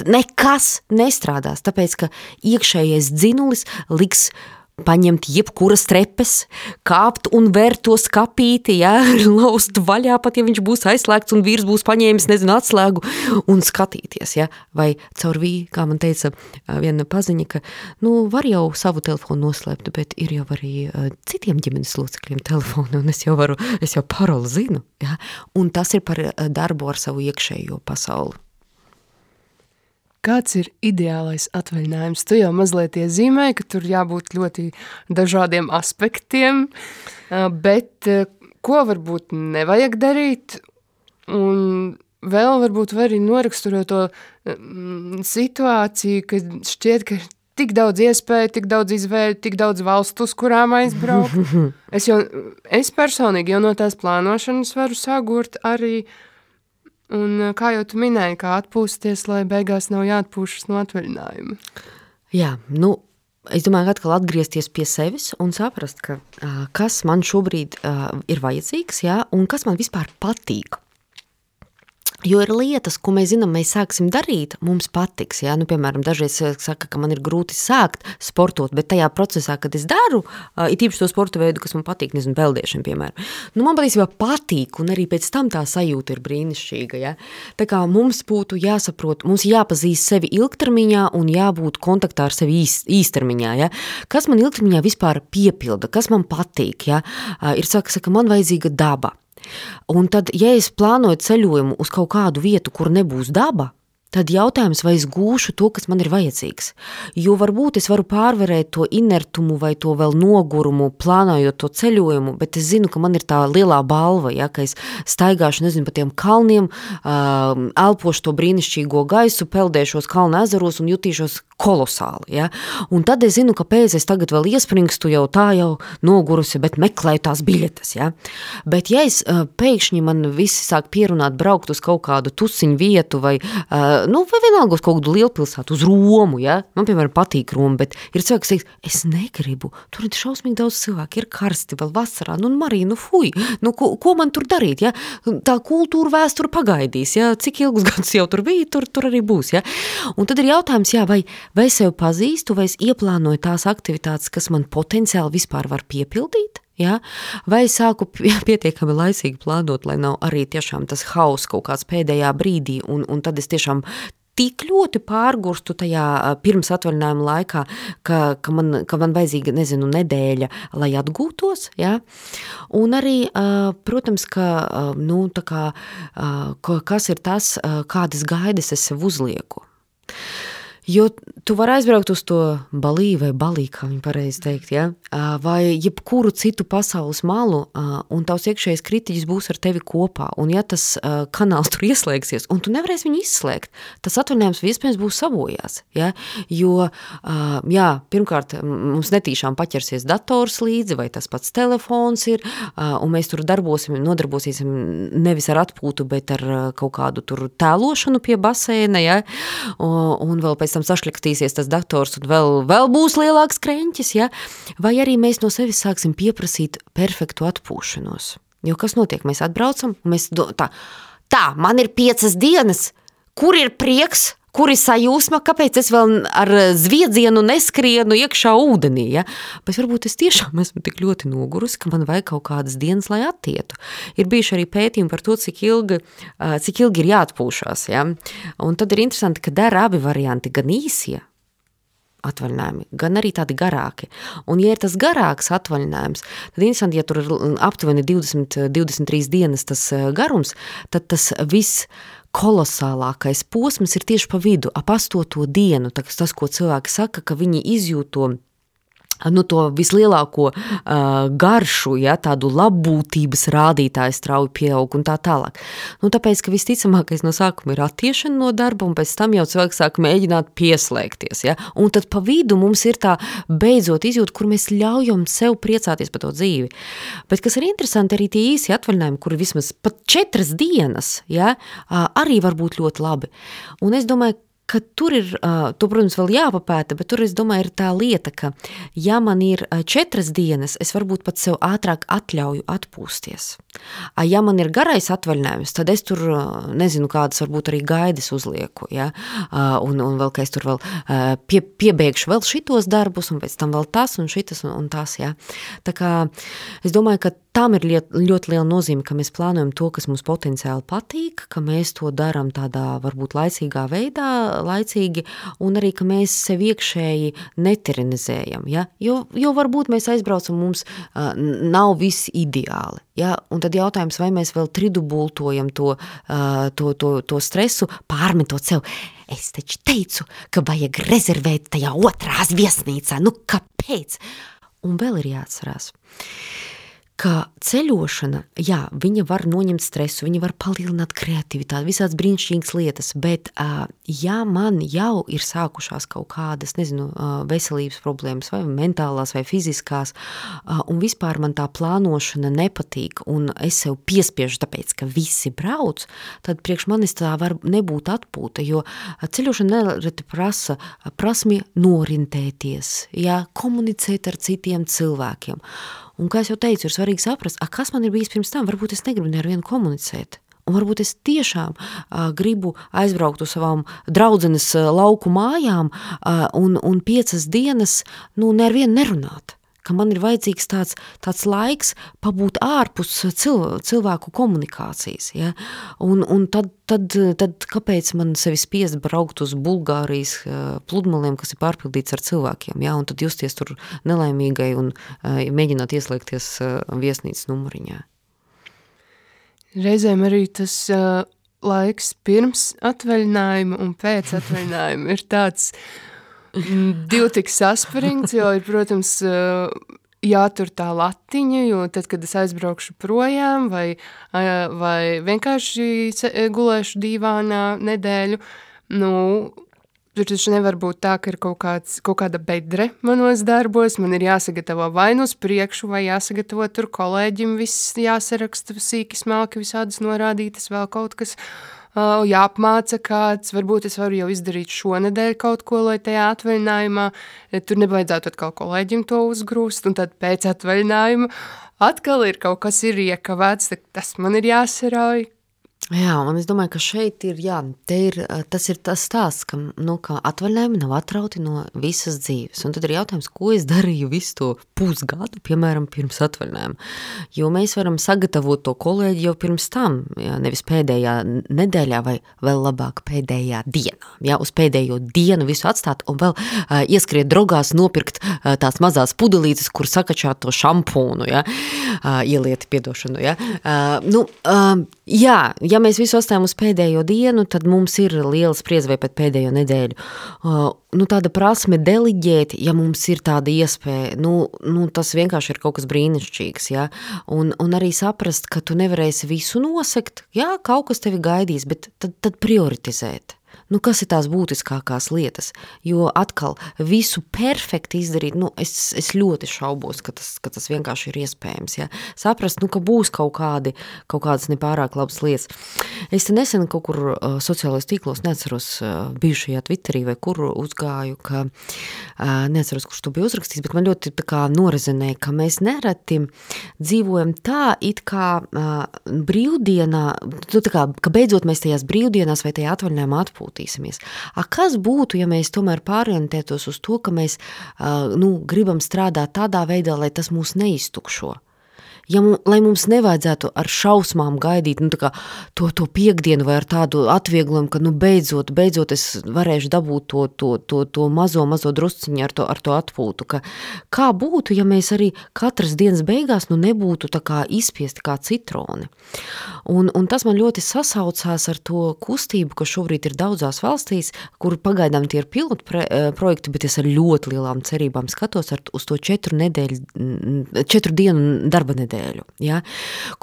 Nekas nestrādās, tāpēc, ka iekšējais dzinulis liks paņemt jebkuras trepes, kāpt un vērt to skapīti, ja, laust vaļā, pat ja viņš būs aizslēgts un vīrs būs paņēmis, atslēgu un skatīties, ja, vai caur kā man teica viena paziņa, ka, var jau savu telefonu noslēpt, bet ir jau arī citiem ģimenes locekļiem telefonu, un es jau paroli zinu, ja, un tas ir par darbu ar savu iekšējo pasauli. Kāds ir ideālais atvaļinājums? Tu jau mazliet iezīmēji, ka tur jābūt ļoti dažādiem aspektiem, bet ko varbūt nevajag darīt? Un vēl varbūt var arī noraksturot to situāciju, kad šķiet, ka tik daudz iespēju, tik daudz izvēļu, tik daudz valstu, uz kurām aizbraukt. Es personīgi jau no tās plānošanas varu sagurt arī. Un kā jau tu minēji, kā atpūsties, lai beigās nav jāatpūšas no atvaļinājuma? Jā, es domāju, ka atkal atgriezties pie sevis un saprast, ka kas man šobrīd ir vajadzīgs, jā, un kas man vispār patīk. Jo ir lietas, ko mēs zinām, mēs sāksim darīt, mums patiks, jā, piemēram, dažreiz saka, ka man ir grūti sākt sportot, bet tajā procesā, kad es daru, it īpaši to sporta veidu, kas man patīk, peldēšana, piemēram, man patiesībā patīk, un arī pēc tam tā sajūta ir brīnišķīga, jā. Tā kā mums būtu jāsaprot, mums jāpazīst sevi ilgtermiņā un jābūt kontaktā ar sevi īstermiņā, jā. Kas man ilgtermiņā vispār piepilda, kas man patīk, jā, ir saka, man vajadzīga daba. Un tad, ja es plānoju ceļojumu uz kaut kādu vietu, kur nebūs daba, tad jautājums, vai es gūšu to, kas man ir vajadzīgs. Jo varbūt es varu pārvarēt to inertumu vai to vēl nogurumu, plānojot to ceļojumu, bet es zinu, ka man ir tā lielā balva, ja, ka es staigāšu, pa tiem kalniem, elpošu to brīnišķīgo gaisu, peldēšos kalna ezeros un jutīšos kolosāli, ja. Un tad es zinu, ka pēc es tagad vēl iespringstu jau nogurusi, bet meklēju tās biļetes, ja. Bet ja es pēkšņi man visi sāk pierunāt braukt uz kaut kādu tusiņu vietu vai vai vienalga uz kaut kādu lielpilsētu, uz Romu, ja? Man, piemēram, patīk Roma, bet ir cilvēks, kas teiks, es negribu, tur ir šausmīgi daudz cilvēku, ir karsti vēl vasarā, Marija, fuj, ko man tur darīt, ja? Tā kultūra vēsture pagaidīs, ja? Cik ilgus gadus jau tur bija, tur arī būs, ja? Un tad ir jautājums, jā, vai es sev pazīstu, vai es ieplānoju tās aktivitātes, kas man potenciāli vispār var piepildīt, ja? Vai es sāku pietiekami laicīgi plānot, lai nav arī tiešām tas hauss kaut kāds pēdējā brīdī, un tad es tiešām tik ļoti pārgurstu tajā pirms atvaļinājuma laikā, ka man vajadzīga, nedēļa, lai atgūtos, ja? Un arī, protams, kas ir tas, kādas gaidas es sev uzlieku. Jo tu vari aizbraukt uz to Balī vai Balī, kā viņi pareizi teikt, ja? Vai jebkuru citu pasaules malu, un tavs iekšējais kritiķis būs ar tevi kopā, un ja tas kanāls tur ieslēgsies, un tu nevarēsi viņu izslēgt, tas atvaļinājums iespējams būs sabojās, ja? Jo, jā, pirmkārt, mums netīšām paķersies dators līdzi, vai tas pats telefons ir, un mēs tur nodarbosīsim nevis ar atpūtu, bet ar kaut kādu tur tēlošanu pie baseina, ja? Un vēl pēc tam sašļakstīsies tas dators un vēl būs lielāks kreņķis, ja? Vai arī mēs no sevis sāksim pieprasīt perfektu atpūšanos. Jo kas notiek? Mēs atbraucam, un mēs man ir 5 dienas, kur ir prieks, kur ir sajūsma, kāpēc es vēl ar zviedzienu neskrienu iekšā ūdenī, ja? Bet varbūt es tiešām esmu tik ļoti nogurusi, ka man vajag kaut kādas dienas, lai attietu. Ir bijuši arī pētījumi par to, cik ilgi ir jāatpūšās, ja? Un tad ir interesanti, ka dara abi varianti, gan īsie atvaļinājumi, gan arī tādi garāki. Un ja ir tas garāks atvaļinājums, tad interesanti, ja tur ir aptuveni 20-23 dienas tas garums, tad tas viss kolosālākais posms ir tieši pa vidu, ap 8. dienu, tas, ko cilvēki saka, ka viņi izjūt to vislielāko garšu, ja, tādu labbūtības rādītāju strauji pieaug un tā tālāk. Tāpēc, ka visticamākais no sākuma ir attiešana no darba, un pēc tam jau cilvēks sāk mēģināt pieslēgties. Ja, un tad pa vidu mums ir tā beidzot izjūta, kur mēs ļaujam sev priecāties par to dzīvi. Bet kas ir interesanti, arī tie īsi atvaļinājumi, kuri vismaz pat 4 dienas, ja, arī var būt ļoti labi. Un es domāju, ka tur ir, to, protams, vēl jāpapēta, bet tur, es domāju, ir tā lieta, ka ja man ir 4 dienas, es varbūt pat sev ātrāk atļauju atpūsties. Ja man ir garais atvaļinājums, tad es tur, nezinu, kādas varbūt arī gaidas uzlieku, ja? Un vēl, ka es tur vēl piebeigšu vēl šitos darbus, un pēc tam vēl tas un šitas un tas, ja? Tā kā es domāju, ka tam ir ļoti liela nozīme, ka mēs plānojam to, kas mums potenciāli patīk, ka mēs to darām tādā varbūt laicīgā veidā, laicīgi, un arī, ka mēs sev iekšēji netiranizējam, ja? Jo varbūt mēs aizbraucam, mums nav viss ideāli, ja? Un tad jautājums, vai mēs vēl tridubultojam to stresu, pārmetot sev. Es taču teicu, ka vajag rezervēt tajā otrās viesnīcā, kāpēc? Un vēl ir jāatcerās, ka ceļošana, jā, viņa var noņemt stresu, viņa var palielināt kreativitāti, visādas brīnišķīgas lietas, bet ja man jau ir sākušās kaut kādas, nezinu, veselības problēmas, vai mentālās, vai fiziskās, un vispār man tā plānošana nepatīk, un es sev piespiežu tāpēc, ka visi brauc, tad priekš manis tā var nebūt atpūta, jo ceļošana nereti prasa prasmi norintēties, jā, komunicēt ar citiem cilvēkiem. Un, kā es jau teicu, ir svarīgi saprast, kas man ir bijis pirms tam, varbūt es negribu nevienu komunicēt. Un varbūt es tiešām gribu aizbraukt uz savām draudzenes lauku mājām un 5 dienas, nevienu nerunāt. Ka man ir vajadzīgs tāds laiks pabūt ārpus cilvēku komunikācijas. Ja? Un tad kāpēc man sevi spiest braukt uz Bulgārijas pludmaliem, kas ir pārpildīts ar cilvēkiem, ja? Un tad justies tur nelaimīgai un mēģināt ieslēgties viesnīcas numuriņā. Reizēm arī tas laiks pirms atvaļinājuma un pēc atvaļinājuma ir tāds divi tik saspringts, jo ir, protams, jātur tā latiņa, jo tad, kad es aizbraukšu projām vai vienkārši gulēšu dīvānā nedēļu, tur taču nevar būt tā, ka ir kaut kāda bedre manos darbos, man ir jāsagatavo vai uz priekšu, vai jāsagatavo tur kolēģim, viss jāsaraksta sīki smalki, visādas norādītas, vēl kaut kas, jāapmāca kāds, varbūt es varu jau izdarīt šonedēļ kaut ko, lai tajā atvaļinājumā, tur nevajadzētu atkal kolēģim to uzgrūst, un tad pēc atvaļinājuma atkal ir kaut kas ir iekavēts, tas man ir jāsarauj. Jā, un es domāju, ka šeit ir, tas ir tas stāsts, ka atvaļinājumi nav atrauti no visas dzīves. Un tad ir jautājums, ko es darīju visu to pusgadu, piemēram, pirms atvaļinājuma. Jo mēs varam sagatavot to kolēģi jau pirms tam, nevis pēdējā nedēļā vai vēl labāk pēdējā dienā. Jā, uz pēdējo dienu visu atstāt un vēl ieskriet drogās nopirkt tās mazās pudelītes, kur sakačāt to šampūnu, ielieti, piedošanu, Ja mēs visu atstājam uz pēdējo dienu, tad mums ir liela spriedze pēc pēdējo nedēļu. Tāda prasme deliģēt, ja mums ir tāda iespēja, tas vienkārši ir kaut kas brīnišķīgs, ja? Un arī saprast, ka tu nevarēsi visu nosekt, kaut kas tevi gaidīs, bet tad prioritizēt. Kas ir tās būtiskākās lietas? Jo atkal visu perfekti izdarīt, es ļoti šaubos, ka tas vienkārši ir iespējams. Ja? Saprast, ka būs kaut kādas nepārāk labas lietas. Es te nesen kaut kur sociālajos tīklos, neatceros bijušajā Twitterī vai kur uzgāju, ka neatceros, kurš to bija uzrakstījis, bet man ļoti norezinēja, ka mēs nereti dzīvojam tā, it kā brīvdienā, ka beidzot mēs tajās brīvdienās vai tajā atvaļinājumā atpūtīsimies. Kas būtu, ja mēs tomēr pārorientētos uz to, ka mēs gribam strādāt tādā veidā, lai tas mūs neiztukšo? lai mums nevajadzētu ar šausmām gaidīt tā kā to piekdienu vai ar tādu atvieglojumu, ka beidzot es varēšu dabūt to mazo drusciņu ar to atpūtu. Kā būtu, ja mēs arī katras dienas beigās nebūtu tā kā izspiesti kā citroni. Un tas man ļoti sasaucās ar to kustību, kas šobrīd ir daudzās valstīs, kur pagaidām tie ir pilotu projekti, bet es ar ļoti lielām cerībām skatos uz to 4 dienu darba nedēļu. Ja?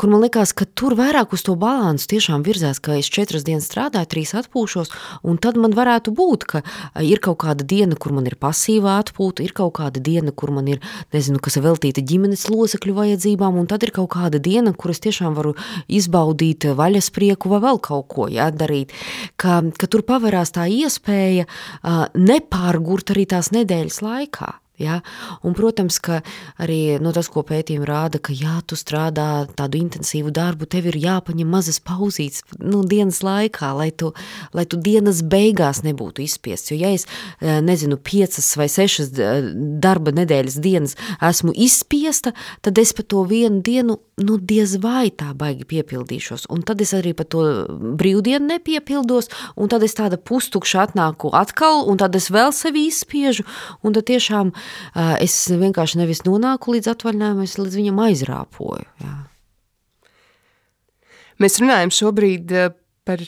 Kur man likās, ka tur vairāk uz to balansu tiešām virzās, ka es 4 dienas strādāju, 3 atpūšos, un tad man varētu būt, ka ir kaut kāda diena, kur man ir pasīvā atpūta, ir kaut kāda diena, kur man ir, kas ir veltīta ģimenes locekļu vajadzībām, un tad ir kaut kāda diena, kur es tiešām varu izbaudīt vaļasprieku vai vēl kaut ko darīt, ka tur paverās tā iespēja nepārgurt arī tās nedēļas laikā. Ja? Un, protams, ka arī tas, ko pētījumi rāda, ka tu strādā tādu intensīvu darbu, tev ir jāpaņem mazas pauzītes dienas laikā, lai tu dienas beigās nebūtu izspiests. Jo, ja es, 5 vai 6 darba nedēļas dienas esmu izspiesta, tad es pa to vienu dienu, diez vai tā baigi piepildīšos. Un tad es arī pa to brīvdienu nepiepildos, un tad es tāda pustukša atnāku atkal, un tad es vēl sevi izspiežu, un tad tiešām es vienkārši nevis nonāku līdz atvaļinājumam, es līdz viņam aizrāpoju. Jā. Mēs runājam šobrīd par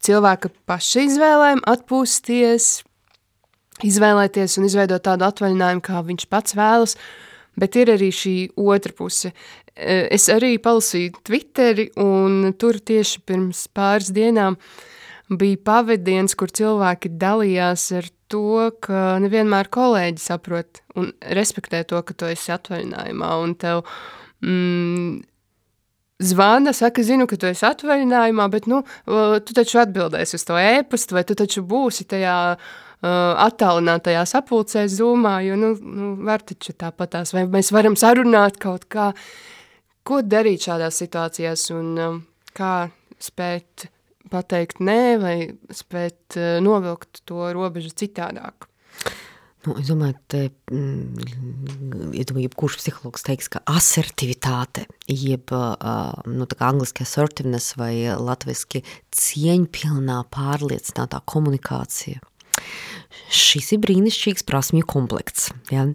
cilvēka paša izvēlēm, atpūsties, izvēlēties un izveidot tādu atvaļinājumu, kā viņš pats vēlas, bet ir arī šī otra puse. Es arī palasīju Twitteri, un tur tieši pirms pāris dienām bija pavadiens, kur cilvēki dalījās ar to, ka nevienmēr kolēģi saprot un respektē to, ka tu esi atvaļinājumā, un tev zvana, saka, zinu, ka tu esi atvaļinājumā, bet tu taču atbildēsi uz to ēpastu, vai tu taču būsi tajā attālinātajā sapulcē Zoomā, jo var taču tāpatās, vai mēs varam sarunāt kaut kā, ko darīt šādās situācijās un kā spēt pateikt nē, vai spēt novilkt to robežu citādāk. Es domāju, jebkurš psihologs teiks, ka asertivitāte, jeb tā kā angliski assertiveness vai latviski cieņpilnā pārliecinātā komunikācija. Šis ir brīnišķīgs prasmju komplekts, ja?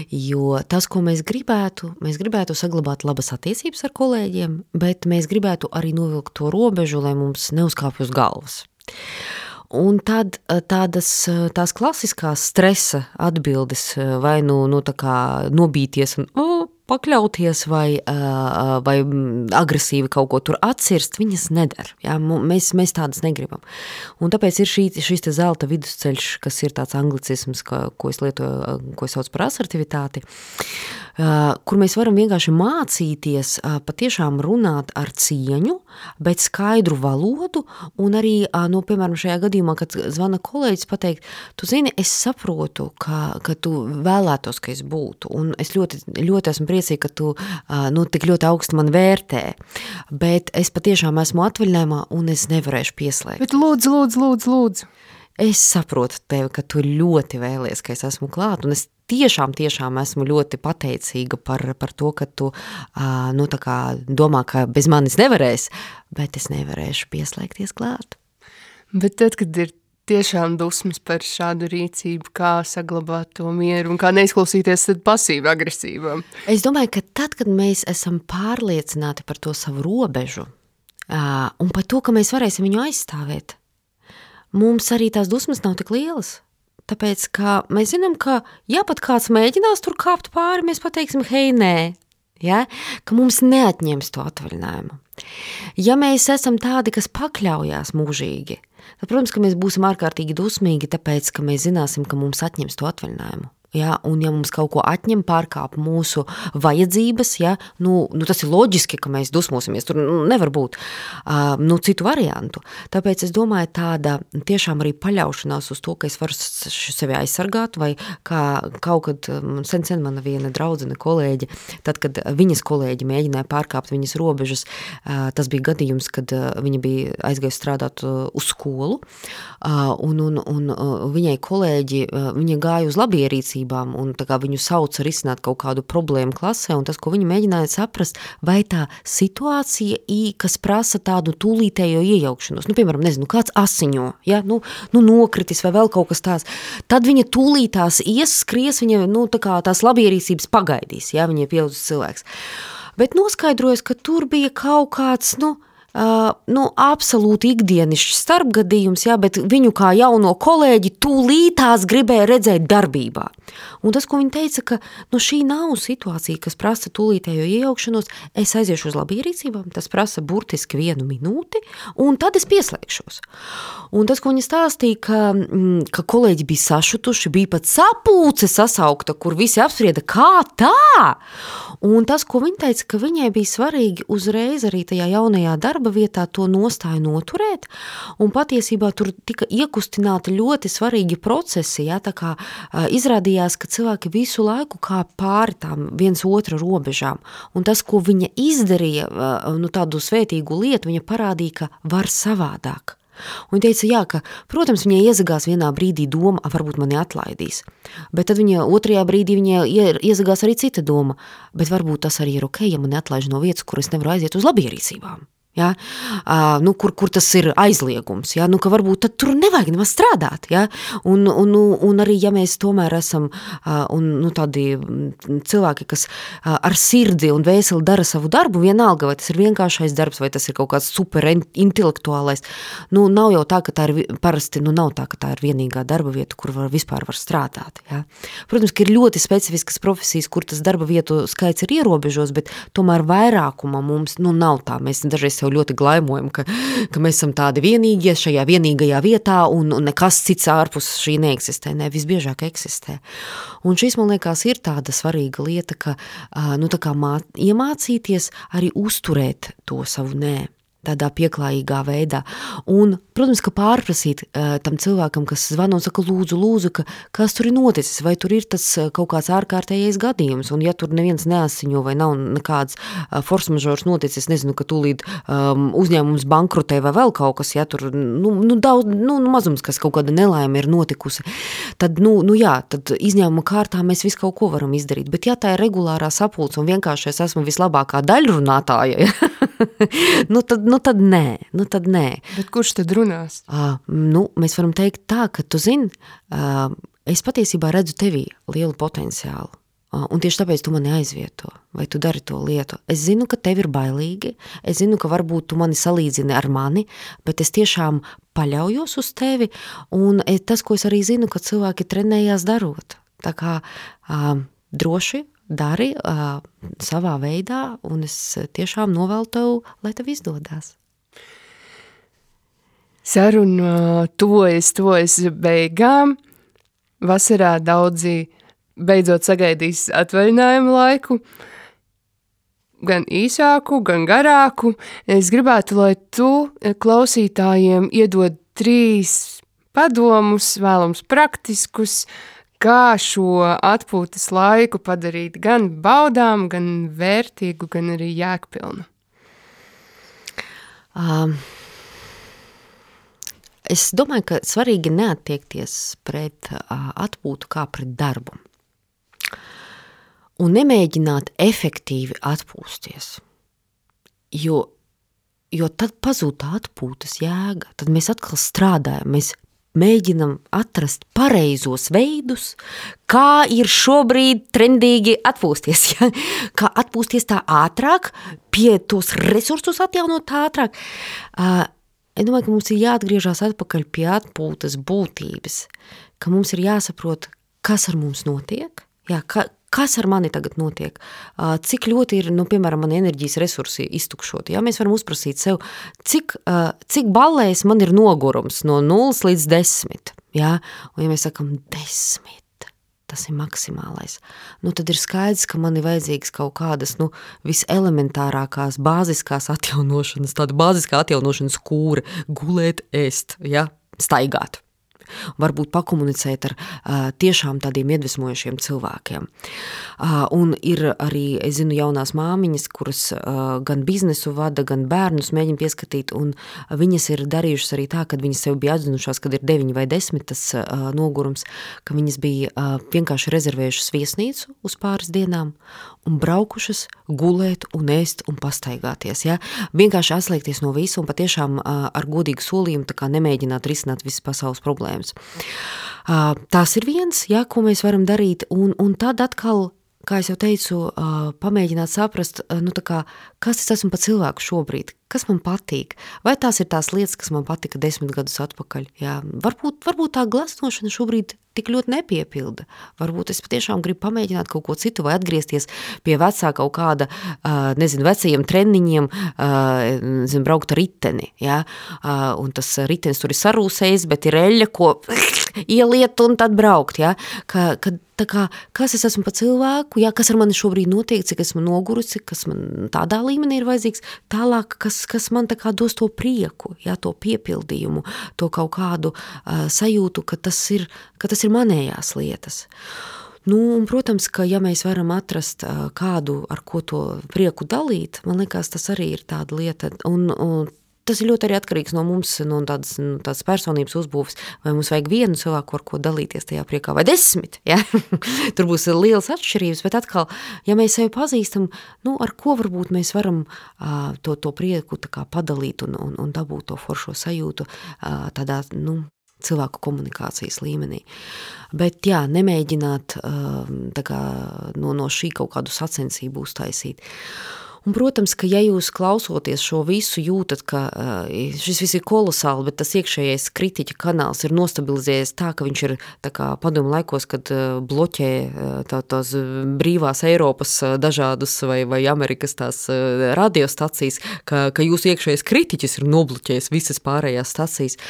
Jo tas, ko mēs gribētu saglabāt labas attiecības ar kolēģiem, bet mēs gribētu arī novilkt to robežu, lai mums neuzkāpj uz galvas. Un tad tās klasiskās stresa atbildes vai tā kā nobīties un pakļauties vai agresīvi kaut ko tur atcirst, viņas nedara. Ja? Mēs tādas negribam. Un tāpēc ir šīs te zelta vidusceļš, kas ir tāds anglicisms, ko es lietoju, ko es sauc par asertivitāti, kur mēs varam vienkārši mācīties patiešām runāt ar cieņu, bet skaidru valodu, un arī, piemēram, šajā gadījumā, kad zvana kolēģis pateikt, tu zini, es saprotu, ka tu vēlētos, ka es būtu, un es ļoti, ļoti esmu priecīga, ka tu tik ļoti augstu man vērtē, bet es patiešām esmu atvaļinājumā, un es nevarēšu pieslēgt. Bet lūdzu. Es saprotu tevi, ka tu ļoti vēlies, ka es esmu klāt, un es tiešām esmu ļoti pateicīga par to, ka tu tā kā domā, ka bez manis nevarēs, bet es nevarēšu pieslēgties klāt. Bet tad, kad ir tiešām dusmas par šādu rīcību, kā saglabāt to mieru un kā neizklausīties tad pasīvi agresīvām? Es domāju, ka tad, kad mēs esam pārliecināti par to savu robežu un par to, ka mēs varēsim viņu aizstāvēt, mums arī tās dusmas nav tik lielas. Tāpēc, ka mēs zinām, ka ja pat kāds mēģinās tur kāpt pāri, mēs pateiksim, hei, nē, ja? Ka mums neatņems to atvaļinājumu. Ja mēs esam tādi, kas pakļaujās mūžīgi, tad, protams, ka mēs būsim ārkārtīgi dusmīgi, tāpēc, ka mēs zināsim, ka mums atņems to atvaļinājumu. Ja, un ja mums kaut ko atņem, pārkāp mūsu vajadzības, ja, tas ir loģiski, ka mēs dusmosimies, tur nevar būt citu variantu. Tāpēc es domāju, tāda tiešām arī paļaušanās uz to, ka es varu sevi aizsargāt, vai kā kaut kad sen mana viena draudzene kolēģe, tad, kad viņas kolēģi mēģināja pārkāpt viņas robežas, tas bija gadījums, kad viņa bija aizgājusi strādāt uz skolu, un viņai kolēģi, viņa gāja uz labierīcību, mācībām, un tā kā viņu sauca risināt kaut kādu problēmu klasē, un tas, ko viņi mēģināja saprast, vai tā situācija, kas prasa tādu tūlītējo iejaukšanos, piemēram, nezinu, kāds asiņo, ja, nokritis vai vēl kaut kas tāds, tad viņa tūlītās skries, viņa, tā kā tās labierīcības pagaidīs, ja, viņa ir pieaudzis cilvēks. Bet noskaidrojas, ka tur bija kaut kāds, absolūti ikdienišķs starpgadījums, jā, bet viņu kā jauno kolēģi tūlītās gribēja redzēt darbībā. Un tas, ko viņa teica, ka šī nav situācija, kas prasa tūlītējo iejaukšanos, es aiziešu uz labierīcībām, tas prasa burtiski 1 minūti, un tad es pieslēgšos. Un tas, ko viņa stāstīja, ka kolēģi bija sašutuši, bija pat sapulce sasaukta, kur visi apsprieda, kā tā? Un tas, ko viņa teica, ka viņai bija svarīgi uzreiz arī tajā jaunajā darba vietā to nostāju noturēt, un patiesībā tur tika iekustināti ļoti svarīgi procesi, ja, tā kā izrādījās, ka cilvēki visu laiku kā pāri tām viens otra robežām, un tas, ko viņa izdarīja, tādu svētīgu lietu, viņa parādīja, ka var savādāk. Un viņa teica, jā, ka, protams, viņai iezagās vienā brīdī doma, varbūt mani atlaidīs, bet tad viņa otrajā brīdī viņai iezagās arī cita doma, bet varbūt tas arī ir ok, ja mani atlaiž no vietas, kur es nevaru aiziet uz labierīcībām. Ja? Kur tas ir aizliegums, ja? Ka varbūt tad tur nevajag nemaz strādāt, ja? Un arī, ja mēs tomēr esam tādi cilvēki, kas ar sirdi un vēseli dara savu darbu, vienalga, vai tas ir vienkāršais darbs, vai tas ir kaut kāds super intelektuālais, nav jau tā, ka tā ir parasti, nav tā, ka tā ir vienīgā darba vieta, kur vispār var strādāt, ja? Protams, ka ir ļoti specifiskas profesijas, kur tas darba vietu skaits ir ierobežos, bet tomēr vairākuma mums, nav tā, mēs dažreiz ļoti glaimojam, ka mēs esam tādi vienīgie šajā vienīgajā vietā un nekas cits ārpus šī neeksistē. Ne, visbiežāk eksistē. Un šis, man liekas, ir tāda svarīga lieta, ka tā kā iemācīties arī uzturēt to savu nē. Tādā pieklājīgā veidā. Un, protams, ka pārprasīt tam cilvēkam, kas zvana un saka, lūdzu, kas tur ir noticis, vai tur ir tas kaut kāds ārkārtējais gadījums, un ja tur neviens neasiņo vai nav nekāds force majeure noticis, nezinu, ka tūlīt uzņēmums bankrotē vai vēl kaut kas, ja tur, daudz, mazums, kas kaut kāda nelaime ir notikusi, tad, tad izņēmuma kārtā mēs visu kaut ko varam izdarīt, bet ja tā ir regulārā sapulce un vienkārši es esmu vislabākā daļrunātāja, tad nē. Bet kurš tad runās? Mēs varam teikt tā, ka tu zini, es patiesībā redzu tevī lielu potenciālu. Un tieši tāpēc tu mani aizvieto, vai tu dari to lietu. Es zinu, ka tev ir bailīgi, es zinu, ka varbūt tu mani salīdzini ar mani, bet es tiešām paļaujos uz tevi, un tas, ko es arī zinu, ka cilvēki trenējās darot. Tā kā droši dari savā veidā, un es tiešām novēlu tev, lai tev izdodās. Saruna tuvojas beigām. Vasarā daudzi beidzot sagaidīs atvaļinājumu laiku, gan īsāku, gan garāku. Es gribētu, lai tu klausītājiem iedod 3 padomus, vēlams praktiskus, kā šo atpūtas laiku padarīt gan baudām, gan vērtīgu, gan arī jēgpilnu. Es domāju, ka svarīgi neattiekties pret atpūtu kā pret darbu. Un nemēģināt efektīvi atpūsties. Jo tad pazūd tā atpūtas jēga. Tad mēs atkal strādājam, mēs mēģinam atrast pareizos veidus, kā ir šobrīd trendīgi atpūsties. Ja? Kā atpūsties tā ātrāk, pie tos resursus atjaunot ātrāk. Es domāju, ka mums ir jāatgriežās atpakaļ pie atpūtas būtības, ka mums ir jāsaprot, kas ar mums notiek, jā, kas ar mani tagad notiek, cik ļoti ir, piemēram, mani enerģijas resursi iztukšoti. Jā, mēs varam uzprasīt sev, cik ballēs man ir nogurums no 0 līdz 10. Jā? Un ja mēs sakam 10, tas ir maksimālais, tad ir skaidrs, ka man ir vajadzīgs kaut kādas, viselementārākās, bāziskās atjaunošanas, tāda bāziskā atjaunošanas kūra, gulēt, ēst, ja? Staigāt. varbūt pakomunicēt ar tiešām tādiem iedvesmojošiem cilvēkiem. Un ir arī, es zinu, jaunās māmiņas, kuras gan biznesu vada, gan bērnus mēģina pieskatīt, un viņas ir darījušas arī tā, kad viņas sev bija atzinušās, kad ir 9 vai 10 tas nogurums, ka viņas bija vienkārši rezervējušas viesnīcu uz pāris dienām un braukušas gulēt un ēst un pastaigāties. Ja? Vienkārši atslēgties no visu un patiešām ar godīgu solījumu tā kā nemēģināt risināt visas pasaules problēmas. Tās ir viens, ja, ko mēs varam darīt, un tad atkal, kā es jau teicu, pamēģināt saprast, nu tā kā, kas es esmu pa cilvēku šobrīd, kas man patīk, vai tās ir tās lietas, kas man patika 10 gadus atpakaļ. Jā, varbūt tā glasnošana šobrīd tik ļoti nepiepilda. Varbūt es patiešām gribu pamēģināt kaut ko citu vai atgriezties pie vecā kaut kāda, vecajiem treniņiem, braukt ar riteni, jā, un tas ritenis tur ir sarūsējis, bet ir eļļa, ko ieliet un tad braukt, jā, tā kā, kas es esmu pa cilvēku, jā, kas ar mani šobrīd notiek, cik esmu nogurusi, kas man tādā līmenī ir vajadzīgs, tālāk, kas man tā kā dos to prieku, jā, to piepildījumu, to kaut kādu sajūtu, ka tas ir manējās lietas. Nu, un, protams, ka ja mēs varam atrast kādu, ar ko to prieku dalīt, man liekas, tas arī ir tāda lieta, un tas ir ļoti arī atkarīgs no mums, no tādas personības uzbūves, vai mums vajag vienu cilvēku, ar ko dalīties tajā priekā, vai 10, ja? Tur būs lielas atšķirības, bet atkal, ja mēs sevi pazīstam, nu, ar ko varbūt mēs varam to prieku tā kā padalīt un dabūt to foršo sajūtu tādā, nu, cilvēku komunikācijas līmenī. Bet jā, nemēģināt tā kā no šī kaut kādu sacensību uztaisīt. Un, protams, ka ja jūs klausoties šo visu jūtat, ka šis viss ir kolosāli, bet tas iekšējais kritiķa kanāls ir nostabilizējies tā, ka viņš ir tā kā padomu laikos, kad bloķē tās brīvās Eiropas dažādas vai Amerikas tās radiostacijas, ka jūsu iekšējais kritiķis ir nobloķējis visas pārējās stacijas.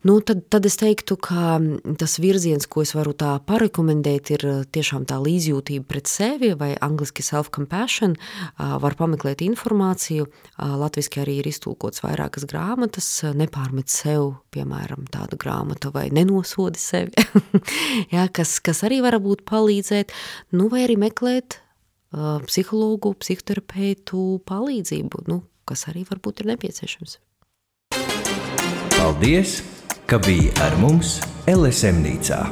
Nu, tad es teiktu, ka tas virziens, ko es varu tā parekomendēt, ir tiešām tā līdzjūtība pret sevi vai angliski self-compassion, var pameklēt informāciju, latviski arī ir iztulkots vairākas grāmatas, nepārmet sev, piemēram, tāda grāmata vai nenosodi sevi, jā, kas arī var būt palīdzēt, nu, vai arī meklēt psihologu, psihoterapeitu palīdzību, nu, kas arī varbūt ir nepieciešams. Paldies, ka bija ar mums LSM-nīcā.